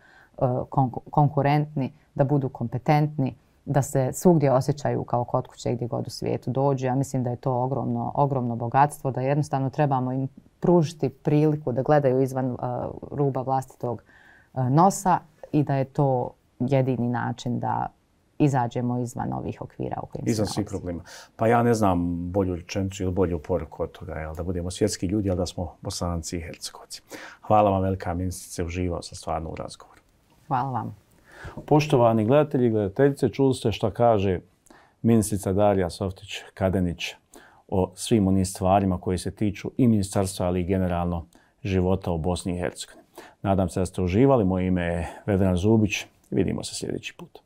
Speaker 2: konku- konkurentni, da budu kompetentni, da se svugdje osjećaju kao kod kuće gdje god u svijetu dođu. Ja mislim da je to ogromno, ogromno bogatstvo, da jednostavno trebamo im pružiti priliku da gledaju izvan uh, ruba vlastitog uh, nosa i da je to jedini način da izađemo izvan ovih okvira u kojim se
Speaker 1: izvan svih problema. Pa ja ne znam bolju rečenicu ili bolju poruku od toga, jel, da budemo svjetski ljudi, ali da smo Bosanci i Hercegovci. Hvala vam, velika ministrice, uživao sam stvarno u razgovoru.
Speaker 2: Hvala vam.
Speaker 1: Poštovani gledatelji i gledateljice, čuli ste što kaže ministrica Darija Softić-Kadenić o svim onim stvarima koji se tiču i ministarstva, ali i generalno života u Bosni i Hercegovini. Nadam se da ste uživali. Moje ime je Vedran Zubić. Vidimo se sljedeći put.